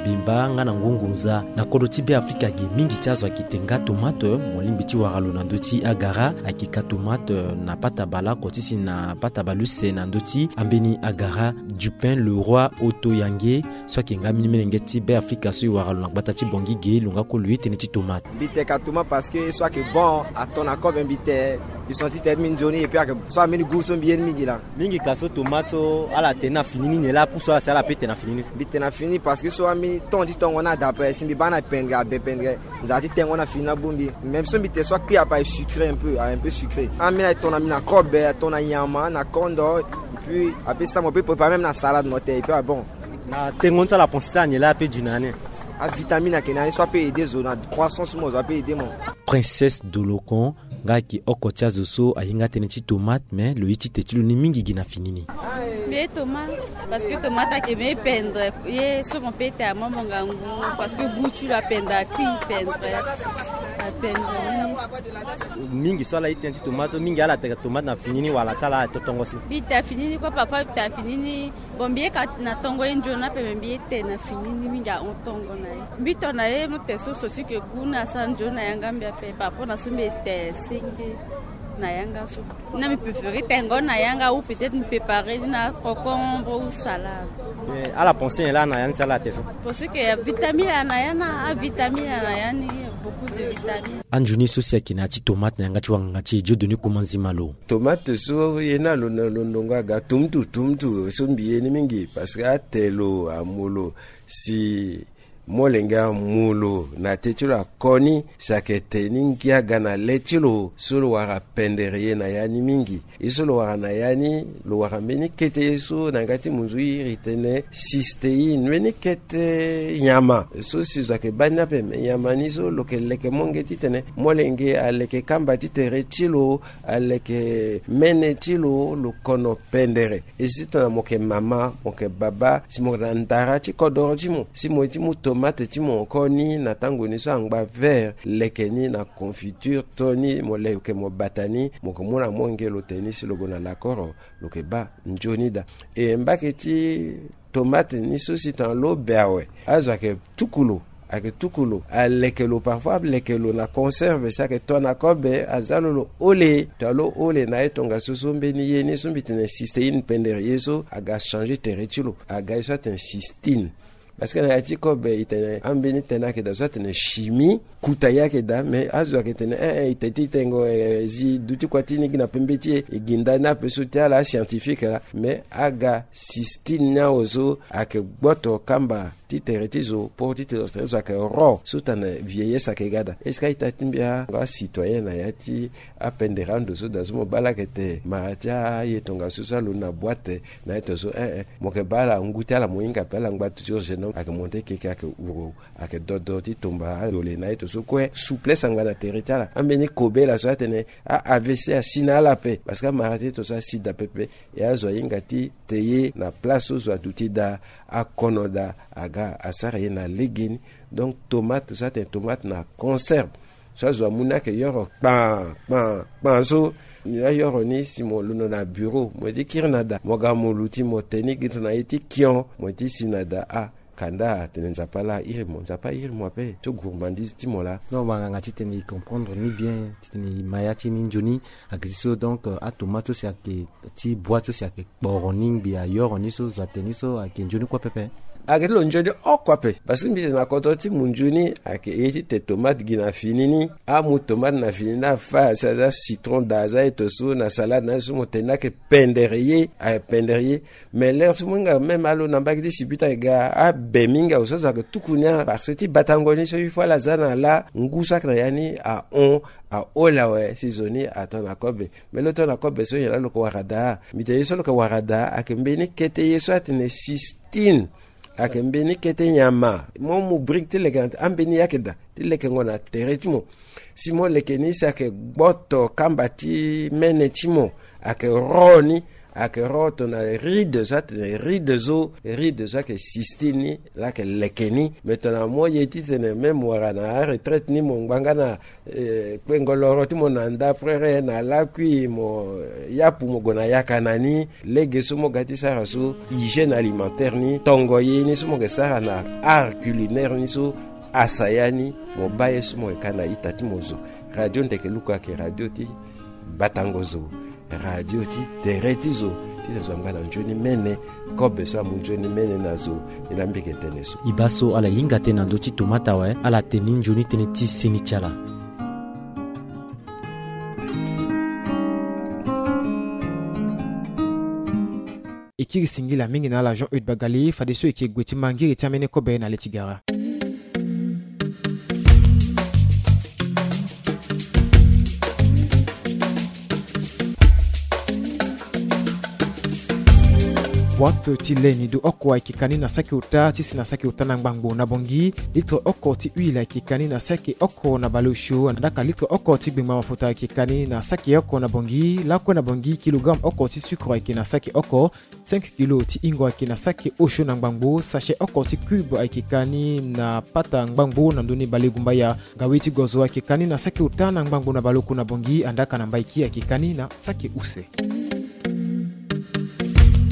bimba nga na ngungunza. Na kodro ti Beafrika ge mingi ti azo ayeke te nga tomate. Mo lingbi ti wara lo na ndö ti agara, ayeke ka tomate na pata baleoko ti si na pata baleuse na ndö ti ambeni agara. Dupin, Leroy, Oto, Yange, so ayeke nga mbeni melenge ti Beafrika so e wara lo na gbata ti Bangui ge, lo nga kue lo ye tënë ti tomate. Mbi te ka tomate parce que so ayeke bon, ato na kobe mbi te. Mbi senti tënë ti mbi nzoni, et puis ayeke so ambeni goût so mbi ye ni mingi laa. Mingi ka so tomate so ala te na fini ni, nyen laa apusu ala si ala pe te na fini ni? Mbi te na fini ni parce que so ambeni temps ti tongo ni ada ape, si mbi baa ni apendre, abe pendre. Nzara ti tengo na fini ni abongbi. Même so mbi te so akpi ape aye sucré un peu, aye un peu sucré. Ambeni aye to na mbi na kobe, aye to na nyama, na kondo. Et puis ape sa mo pe préparer même na salade mo te, et puis ah bon. Na tengo ni so ala pensé ti ala nyen laa ape du na ya ni? Avitamine ayeke na ya ni so ape aider zo na croissance ti mo, zo ape aider mo. Princesse Dolokon nga ayeke oko ti azo so ahinga tënë ti tomate, mais lo ye ti te ti lo ni mingi gi na fini ni. Mbi ye tomate parce que tomate ayeke mbi pendre ye so mo pe te amomo ngangu, parce que goût ti lo apendre, akui pendre, apendre mingi. Mingi so ala ye tënë ti tomate so mingi ala teka tomate na fini ni wala ti ala aye to tongo si? Mbi te na fini ni kue, parfois mbi te na fini ni. Bon, mbi ye ka na tongo ye nzoni ape, me mbi ye te na fini ni mingi ahon tongo na ye. Mbi to na ye mo te so so ti ke goût ni asara nzoni na yanga mbi ape par rapport na so mbi ye te senge na yanga so. Na mbi préféré tengo na yanga ou peut-être mbi préparé ni na concombre ou salade. Mais ala pensé nyen laa na ya ni si ala te so? Parce que ya vitamine na ya na, avitamine na ya ni, beaucoup de vitamines. Anzoni so si ayeke na ya ti tomate na yanga ti wanganga ti e Dieudonné Komanzi Malo. Tomate so ye ni alo na lo ndongo aga tumtu tumtu so mbi ye ni mingi parce que ate lo amu lo si molenge amu lo na te ti lo akoni si ayeke te ni ngia ga na le ti lo so lo wara pendere ye na ya ni mingi. Ye so lo wara na ya ni, lo wara mbeni kete ye so na yanga ti munzu iri tene cystéine, mbeni kete nyama so si zo ayeke baa ni ape. Me nyama ni so lo yeke leke monge titene molenge aleke kamba ti tere ti lo, aleke mene ti lo, lo kono pendere. E si tongana mo yeke mama, mo yeke baba, si mo yeke na ndara ti kodoro ti mo, si mo ye ti mu tomate ti mo koni na tango ni so angba vert, leke ni na confiture, to ni mo leke mo bata ni, mo yeke mu na monge lo te ni si lo gue na lakoro, lo yeke baa nzoni daa. E mbage ti tomate ni so si tongana lo be awe, azo ayeke tuku lo, ayeke tuku lo, aleke lo, parfois aleke lo na conserve si ayeke to na kobe, aza lo lo hole. Tongana lo hole na ye tongaso so mbeni ye ni so mbi tene cystéine pendere ye so aga changer tere ti lo, aga ye so atene cystine. Parce que na ya ti kobe e tene ambeni tënë ayeke daa so atene chimie, kuta ye ayeke daa, mais azo ayeke tene eh, eh, e te ti tengo, eh, zi duti kua ti ni gi na pembe ti e, e gi nda ni ape so ti ala ascientifique laa. Mais aga cystine ni awe so ayeke gboto kamba ti tere ti zo, po ti tere ti zo ayeke ro so tongana vieillesse ayeke ga daa. Est-ce que a-ita ti mbi acitoyen na ya ti apendere ando so daa so mo baa laa ayeke te mara ti aye tongaso so alo na boite na ye tongaso eh, eh, mo yeke baa ala ngu ti ala mo hinga ape, ala ngba toujours jeune homme, ayeke monte keke, ayeke huru, ayeke dodo ti tomba ayole na ye tongaso kue, souplesse angba na tere ti ala. Ambeni kobela so atene a-A V C asi na ala ape parce que amara ti ye tongaso asi daa pepe. E azo ahinga ti te ye na place so zo aduti daa, akono daa, aga asara ye na legeni. Donc tomate so atene tomate na conserve so azo amu ni ayeke yoro kpan kpan kpan so. Ni ayoro ni si mo londo na bureau, mo ye ti kiri na daa, mo ga mo luti mo te ni gi tongana ye ti kion, mo ye ti si na daa. Ah, kanda atene Nzapa laa airi mo, Nzapa airi mo ape so gourmandise ti mo laa. Donc banganga titene e comprendre ni bien titene e ma ya ti ni nzoni. Ayeke ti so donc, euh, atomate so si ayeke ti boite so si ayeke kporo ni ngbi ayoro ni so, zo ate ni so ayeke nzoni kue pepe. Ayeke ti lo nzoni oko ape parce que mbi tene na kodro ti munzu ni ayeke ye ti te tomate gi na fini ni. Amu tomate na fini ni afa si aza citron daa, aza ye tongaso na salade na ye so mo tene ni ayeke pendere ye, ayeke pendere ye. Mais lere so mo hinga même alo na mbage ti sibita ayeke ga abe mingi awe so azo ayeke tuku ni a parce que ti batango ni so il faut ala za na laa ngu so ayeke na ya ni ahon, ahol awe si zo ni ato na kobe. Mais lo to na kobe so nyen laa lo yeke wara daa? Mbi tene ye so lo yeke wara daa ayeke mbeni kete ye so atene cystine. Ayeke mbeni kete nyama mo mu brique ti leke na ambeni yake daa ti lekengo na tere ti mo. Si mo leke ni si ayeke gboto kamba ti mene ti mo, ayeke ro ni, ayeke ro tongana ride so atene ride so, ride so ayeke sistine ni, laa ayeke leke ni. Me tongana mo ye titene même wara na aretraite ni mo ngbanga na eh, kpengo loro ti mo na nda prere na lakui mo, yapu mo gue na yaka na ni. Lege so mo ga ti sara so, hygiène alimentaire ni, tongo ye ni so mo yeke sara na art culinaire ni so, asaya ni, mo baa ye so mo yeke ka na ita ti mo zo. Radio Ndeke Luku ayeke radio ti batango zo, radio ti tere ti zo, ti zo angba na nzoni mene, kobe so amu nzoni mene na zo. Ni laa mbi yeke tene so. E baa so ala hinga tënë na ndö ti tomata awe, ala tene ni nzoni tënë ti seni ti ala. E kiri singila mingi na ala Jean Eudes Bagalé, fadeso e ke gue ti ma ngiri ti ambeni kobe na le ti gara. Boîte ti lait nido oko ayeke ka ni na saki ota ti si na saki ota na ngbangbo na Bangui. Litre oko ti huile ayeke ka ni na saki oko na baleosio. Andaka litre oko ti gbengba mafuta ayeke ka ni na saki oko na Bangui. Lakue na Bangui, kilogramme oko ti sucre ayeke na saki oko. Cinq kilo ti hingo ayeke na saki osio na ngbangbo. Sachet oko ti cube ayeke ka ni na pata ngbangbo na ndoni balegumbaya. Ngawe ti gozo ayeke ka ni na saki ota na ngbangbo na baleoko na Bangui. Andaka na Mbaiki ayeke ka ni na saki use.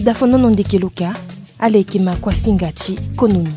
Dafonono ndeke loka, ala yeke ma kuasinga ti konomi.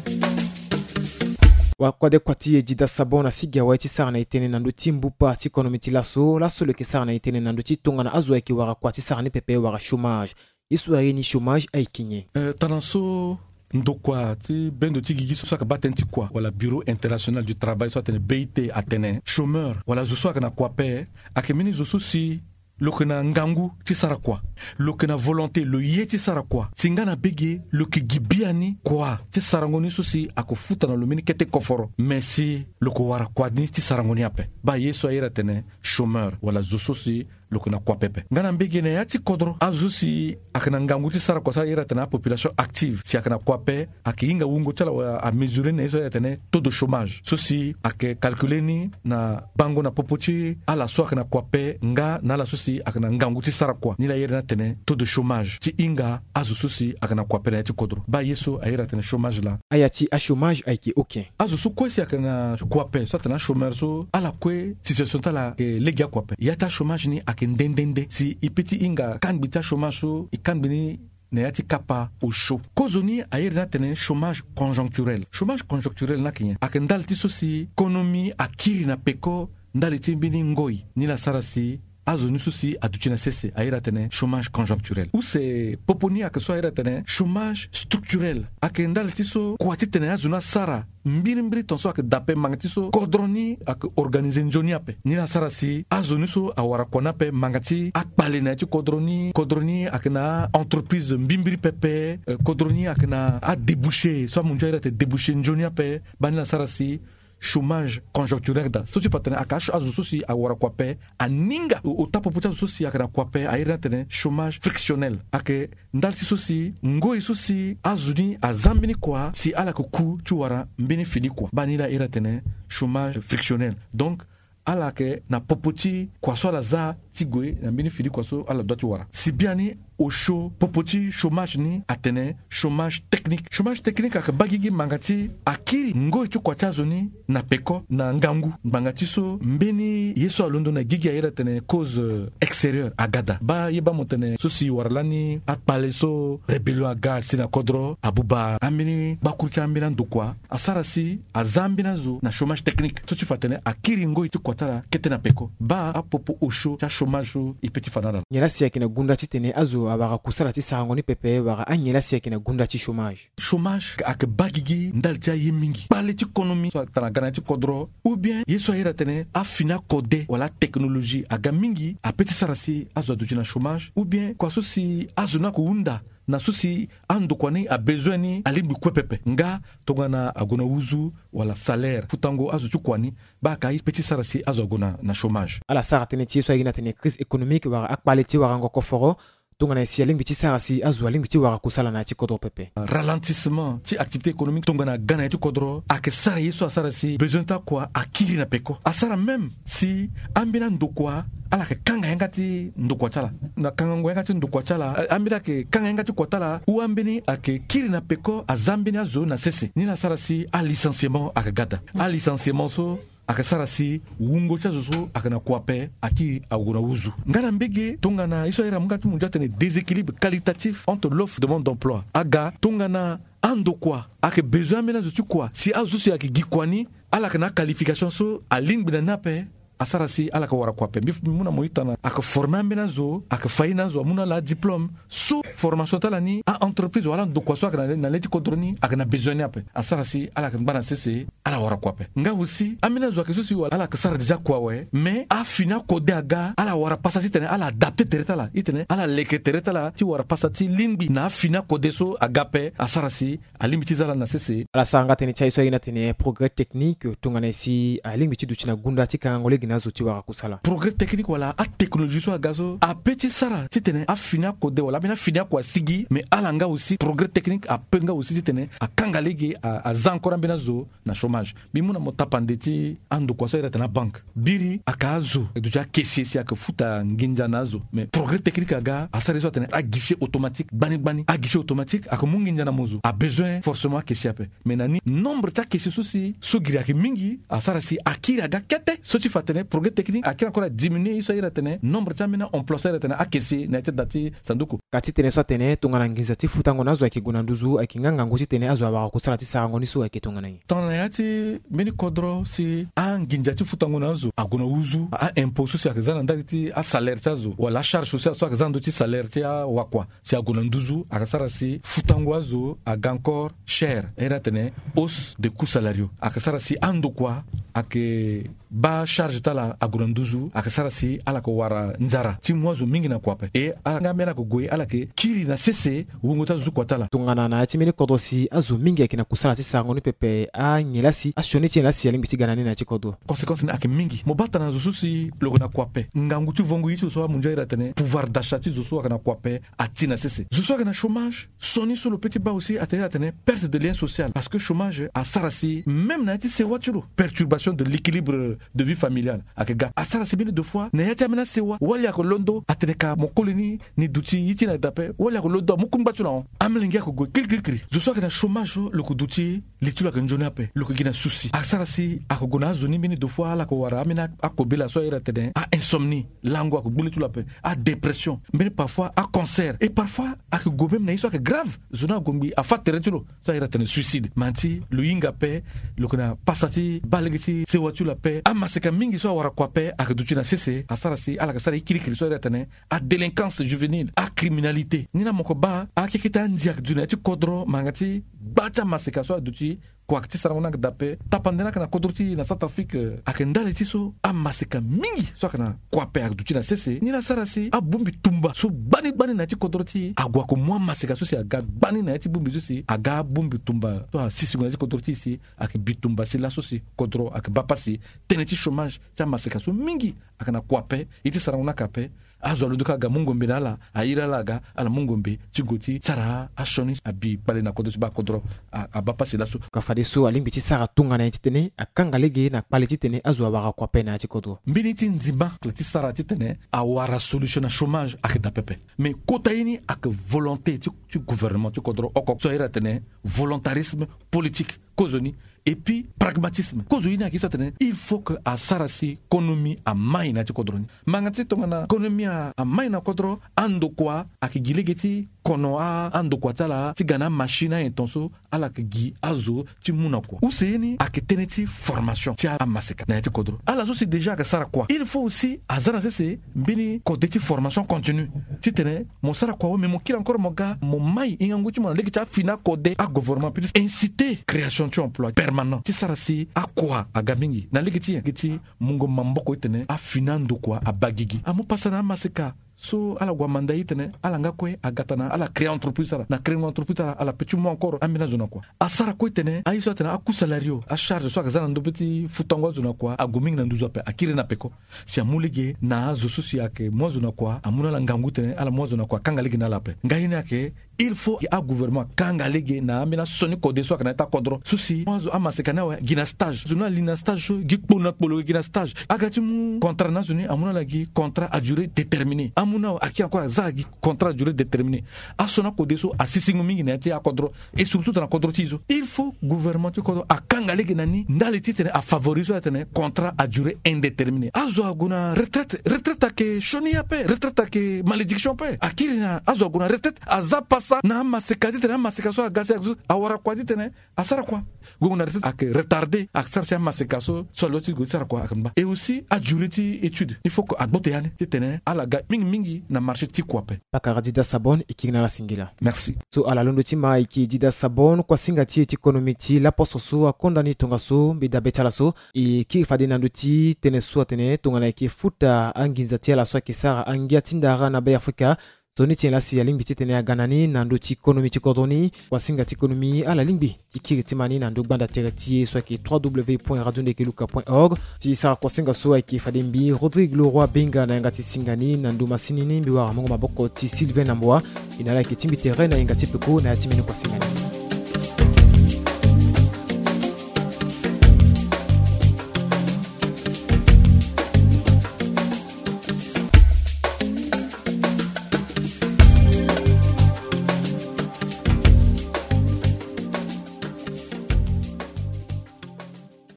Wakua de kua ti e Dida Sabon na sigi awe ti sara na e tënë na ndö ti mbupa ti konomi ti laso. Laso lo yeke sara na e tënë na ndö ti tongana azo ayeke wara kua ti sara ni pepe wala chômage. Ye so aye ni chômage ayeke nyen? Eh, tana so ndokua ti bendo ti gigi so ayeke baa tënë ti kua wala Bureau International du Travail so atene B I T atene chômeur wala zo so ayeke na kua ape ayeke mbeni zo so si lo yeke na ngangu ti sara kua, lo yeke na volonté, lo ye ti sara kua, si nga na bege lo yeke gi biani kua ti sarango ni so si ayeke futa na lo mbeni kete koforo, me si lo yeke wara kua ni ti sarango ni ape. Baa ye so aye iri atene chômeur wala zo so si lo yeke na kua pepe. Nga na mbege na ya ti kodro azo so si ayeke na ngangu ti sara kua so aye iri atene apopulation active si ayeke na kua ape, ayeke hinga wungo ti ala wala amesure ni na ye so aye iri atene taux de chômage so si ayeke calculer ni na bango na popo ti ala so ayeke na kua ape nga na ala so si ayeke na ngangu ti sara kua. Ni laa aye iri ni atene taux de chômage ti hinga azo so si ayeke na kua ape na ya ti kodro. Baa ye so aye iri atene chômage laa. Aya ti achômage ayeke oke. Azo so kue si ayeke na kua ape so atene achômeur so ala kue situation ti ala ayeke lege akua ape. Ya ti achômage ni ayeke nde nde nde si e peut ti hinga kangbi ti achômage so e kangbi ni na ya ti kapa osio. Kozoni aye iri ni atene chômage conjoncturel. Chômage conjoncturel ni ayeke nyen? Ayeke ndali ti so si konomi akiri na peko ndali ti mbeni ngoi. Ni laa asara si azo ni so si aduti na sese aye iri atene chômage conjoncturel. Use popo ni ayeke so aye iri atene chômage structurel. Ayeke ndali ti so kua titene azo ni asara mbirimbiri tongaso ayeke daa ape manga ti so kodro ni ayeke organiser nzoni ape. Ni laa asara si azo ni so awara kua ni ape manga ti akpale na ya ti kodro ni. Kodro ni ayeke na a-entreprise mbimbiri pepe. Eh, kodro ni ayeke na adébouché so amu nzoni aye iri atene débouché nzoni ape. Baa ni laa asara si chômage conjoncturel daa. So ti fa atene ayeke azo so si awara kua ape aninga. Ota popo ti azo so si ayeke na kua ape aye iri ni atene chômage frictionnel. Ayeke ndali ti so si ngoi so si azo ni aza mbeni kua si ala yeke ku ti wara mbeni fini kua. Baa ni laa aye iri atene chômage frictionnel. Donc ala yeke na popo ti kua so ala za ti gue na mbeni fini kua so ala dua ti wara. Si biani osio popo ti chômage ni atene chômage technique. Chômage technique ayeke baa gigi ngbanga ti akiri ngoi ti kua ti azo ni na peko na ngangu. Ngbanga ti so mbeni ye so alondo na gigi aye iri atene cause, euh, extérieure aga daa. Baa ye baa mo tene so si wara lani akpale so rébellion aga si na kodro abuba ambeni gbakuru ti ambeni andokua asara si aza ambeni azo na chômage technique so ti fa atene akiri ngoi ti kua ti ala kete na peko. Baa apopo osio ti achômage so e peut ti fa na ala. Nyen la si ayeke na gunda titene azo awara kusala ti sarango ni pepe wala anyen la si ayeke na gunda ti chômage? Chômage ayeke baa gigi ndali ti aye mingi. Kpale ti konomi so atara ga na ya ti kodro ou bien ye so aye iri atene afini akode wala atechnologie aga mingi ape ti sara si azo aduti na chômage ou bien kua so si azo ni ayeke hunda na so si andokua ni abezoin ni alingbi kue pepe nga tongana ague na huzu wala salaire futango azo ti kua ni. Baa ayeke aye pe ti sara si azo ague na, na chômage. Ala sara tënë ti ye so aye gi ni atene crise économique wala akpale ti warango koforo. Tongana nyen si alingbi ti sara si azo alingbi ti wara kusala na ya ti kodro pepe? Ralentissement ti activité économique tongana aga na ya ti kodro ayeke sara ye so asara si besoin ti akua akiri na peko. Asara même si ambeni andokua ala yeke kanga yanga ti ndokua ti ala. Na kangango yanga ti ndokua ti ala, ambeni ayeke kanga yanga ti kua ti ala ou ambeni ayeke kiri na peko, aza mbeni azo na sese. Ni la asara si alicenciement ayeke ga daa. Alicenciement so ayeke sara si wungo ti azo so ayeke na kua ape akiri ague na uzu. Nga na mbege tongana ye so ahiri amu nga ti munzu atene déséquilibre qualitatif entre l'offre et la demande d'emploi aga tongana andokua ayeke besoin ambeni azo ti kua si azo so si ayeke gi kua ni ala yeke na aqualification so alingbi na ni ape. Asara si ala yeke wara kua ape. Mbi mu na mo ita na ayeke forme ambeni azo, ayeke fa ye na azo amu na ala adiplôme so formation ti ala ni a-entreprise wala andokua so ayeke na le ti kodro ni ayeke na besoin ni ape. Asara si ala yeke ngba na sese, ala wara kua ape. Nga aussi ambeni azo ayeke so si wala ala yeke sara déjà kua awe, mais afini akode aga, ala wara pasa titene ala adapte tere ti ala, titene ala leke tere ti ala ti wara pasa ti lingbi na afini akode so aga ape. Asara si alingbi ti za ala na sese. Ala sara nga tënë ti aye so aye ni atene progrès technique tongana nyen si alingbi ti duti na gunda ti kangango lege na azo ti wara kusala. Progrès technique wala atechnologie so aga so ape ti sara titene afini akode wala ambeni afini akua asigi, mais ala nga aussi progrès technique ape nga aussi titene akanga lege a- aza encore ambeni azo na chômage. Mbi mu na mo tapande ti andokua so ahiri atene abanke. Biri ayeke azo ayeke duti akesi si ayeke futa nginza na azo. Mais progrès technique aga asara ye so atene aguichet automatique gbani gbani. Aguichet automatique ayeke mu nginza na mo zo, abesoin forcément akesi ape. Mais na ni nombre ti akesi so si so giri ayeke mingi, asara si akiri aga kete so ti fa atene progrès technique akiri encore adiminuer ye so ahiri atene nombre ti ambeni aemploi so ahiri atene akesi na ya ti da ti sanduku. Ka ti tene so atene tongana nginza ti futango na azo ayeke gue na nduzu, ayeke nga ngangu titene azo awara kusala ti sarango ni so ayeke tongana nyen? Tongana na ya ti mbeni kodro si anginza ti futango na azo ague na uzu, aimpôt so si ayeke za na ndali ti asalaire ti azo wala acharge sociale so ayeke za na ndö ti salaire ti awakua si ague na nduzu, ayeke sara si futango azo aga encore cher. Ahiri atene hausse de coûts salariaux. Ayeke sara si andokua ayeke baa charge ti ala ague na nduzu, ayeke sara si ala yeke wara nzara ti mu azo mingi na kua ape. E ala nga ambeni ala yeke gue ala yeke kiri na sese wungo ti azo ti kua ti ala. Tongana na ya ti mbeni kodro si azo mingi ayeke na kusala ti sarango ni pepe, anyen laa si asioni ti nyen laa si alingbi ti ga na ni na ya ti kodro? Conséquence ni ayeke mingi. Mo baa tana zo so si lo yeke na kua ape, ngangu ti vongo ye ti zo so amunzu ahiri atene pouvoir d'achat ti zo so ayeke na kua ape ati na sese. Zo so ayeke na chômage, sioni so lo peut ti baa aussi atene atene perte de lien social, parce que chômage asara si même na ya ti sewa ti lo, perturbation de l'équilibre de vie familiale ayeke ga. Asara si mbeni deux fois na ya ti ambeni asewa wali ayeke londo atene ka mo koli ni, ni duti ye ti ni ayeke daa ape, wali ayeke londo amu kungba ti lo na hon. Amolenge ayeke gue kirikirikiri. Zo so ayeke na chômage so lo yeke duti li ti lo ayeke nzoni ape, lo yeke gi na souci. Asara si ayeke gue na azo ni mbeni deux fois ala yeke wara ambeni akobela so ahiri atene ainsomnie, lango ayeke gbu li ti lo ape, adépression, mbeni parfois acancer, et parfois ayeke gue même na ye so ayeke grave. Zo ni ague ngbii afa tere ti lo so ahiri atene suicide. Ma ti lo hinga ape, lo yeke na pasa ti baa lege ti sewa ti lo ape. Amaseka mingi so awara kua ape ayeke duti na sese, asara si ala yeke sara ye kirikiri so ahiri atene adélinquance juvénile, acriminalité. Ni laa mo yeke baa akekete andi ayeke duti na ya ti kodro, ma nga ti gba ti amaseka so aduti kua ayeke ti sarango ni ayeke daa ape. Tapande ni ayeke na kodro ti e na Centrafrique, eh, ayeke ndali ti so amaseka mingi so ayeke na kua ape ayeke duti na sese. Ni laa asara si abongbi tumba so gbani gbani na ya ti kodro ti e ague ayeke mu amaseka so si aga gbani na ya ti bongbi so si aga abongbi tumba so asisingo na ya ti kodro ti e si ayeke bitumba si laso si kodro ayeke baa pasi. Tënë ti chômage ti amaseka so mingi ayeke na kua ape. Ye ti sarango ni ayeke ape. Azo alondo kâ aga mu ngombe na ala, ahiri ala aga ala mu ngombe ti gue ti sara asioni abi kpale na kodro ti baa kodro. A- abaa pasi laso. Ka fadeso alingbi ti sara tongana nyen titene akanga lege na kpale titene azo awara kua ape na ya ti kodro? Mbeni ti nzima ti sara titene awara solution na chômage ayeke daa pepe. Mais kota ye ni ayeke volonté ti, ti gouvernement ti kodro oko so ahiri atene volontarisme politique. Kozoni et puis pragmatisme. Kozo ye ni ayeke ye so atene il faut que asara si konomi amai na ya ti kodro ni. Ma nga ti tongana konomi a- amai na kodro, andokua ayeke gi lege ti kono a- andokua ti ala ti ga na amachine ayen ton so ala yeke gi azo ti mu na kua. Use ye ni ayeke tënë ti formation ti amaseka na ya ti kodro. Ala so si déjà ayeke sara kua, il faut aussi aza na sese mbeni kode ti formation continue titene mo sara kua awe, mais mo kiri encore mo ga mo mai hingangu ti mo na lege ti afini akode agouvernement, puis inciter création ti emploi permanent ti sara si akua aga mingi na lege ti nyen? Lege ti mungo maboko titene afini andokua abaa gigi. Amu pasa na amaseka So ala gue amanda ye titene ala nga kue aga tana ala créer entreprise ti ala. Na créer entreprise ti ala ala pe ti mu encore ambeni azo na kua. Asara kue titene aye so atene aku salario, acharge so aga za na ndö be ti futango azo na kua ague mingi na nduzu ape, akiri na peko. Si amu lege na azo so si ayeke mu azo na kua amu na ala ngangu titene ala mu azo na kua akanga lege na ala ape. Nga ye ni ayeke il faut agouvernement akanga lege na ambeni asioni kode so ayeke na ya ti akodro so si amaseka ni awe gi na stage, zo ni ali na stage so gi kpona kpolo gi na stage. Aga ti mu contrat na azo ni amu na ala gi contrat à durée déterminée. Amu na awe aki encore aza gi contrat à durée déterminée. Asioni akode so asisingo mingi na ya ti akodro. Et surtout tana kodro ti e so il faut gouvernement ti kodro akanga lege na ni ndali titene afavorise so atene contrat à durée indéterminée. Azo ague na retraite, retraite ayeke sioni ape, retraite ayeke malédiction ape. Akiri na azo ague na retraite aza pasa na amaseka titene amaseka so aga si azo awara kua titene asara kua. Gue na retraite ayeke retardé asara si amaseka so so alo ti gue ti sara kua ayeke mba. Et aussi adurée ti étude il faut que agbote ya ni titene ala ga mingi mingi na marché ti kua ape. Pakara Dida Sabon, e kiri na ala singila. Merci. So ala londo ti ma e yeke Dida Sabon, kuasinga ti e ti konomi ti laposo so akonda ni tongaso mbi dabe ti ala so. E kiri fade na ndö ti tënë so atene tongana e yeke futa anginza ti ala so ayeke sara angia ti ndara na Be Afrika. Nzoni ti nyen laa si alingbi titene aga na ni na ndö ti konomi ti kodro ni. Kuasinga ti konomi ala lingbi ti kiri ti ma ni na ndö gbanda tere ti e so ayeke trois w point radio ndeke luka point org. Ti sara kuasinga so ayeke fade mbi Rodrigue Leroy Benga na yanga ti singa ni na ndö masini ni mbi wara mungo maboko ti Sylvain na Mboa. E na ala yeke ti mbi tere na yanga ti peko na ya ti mbeni kuasinga ni.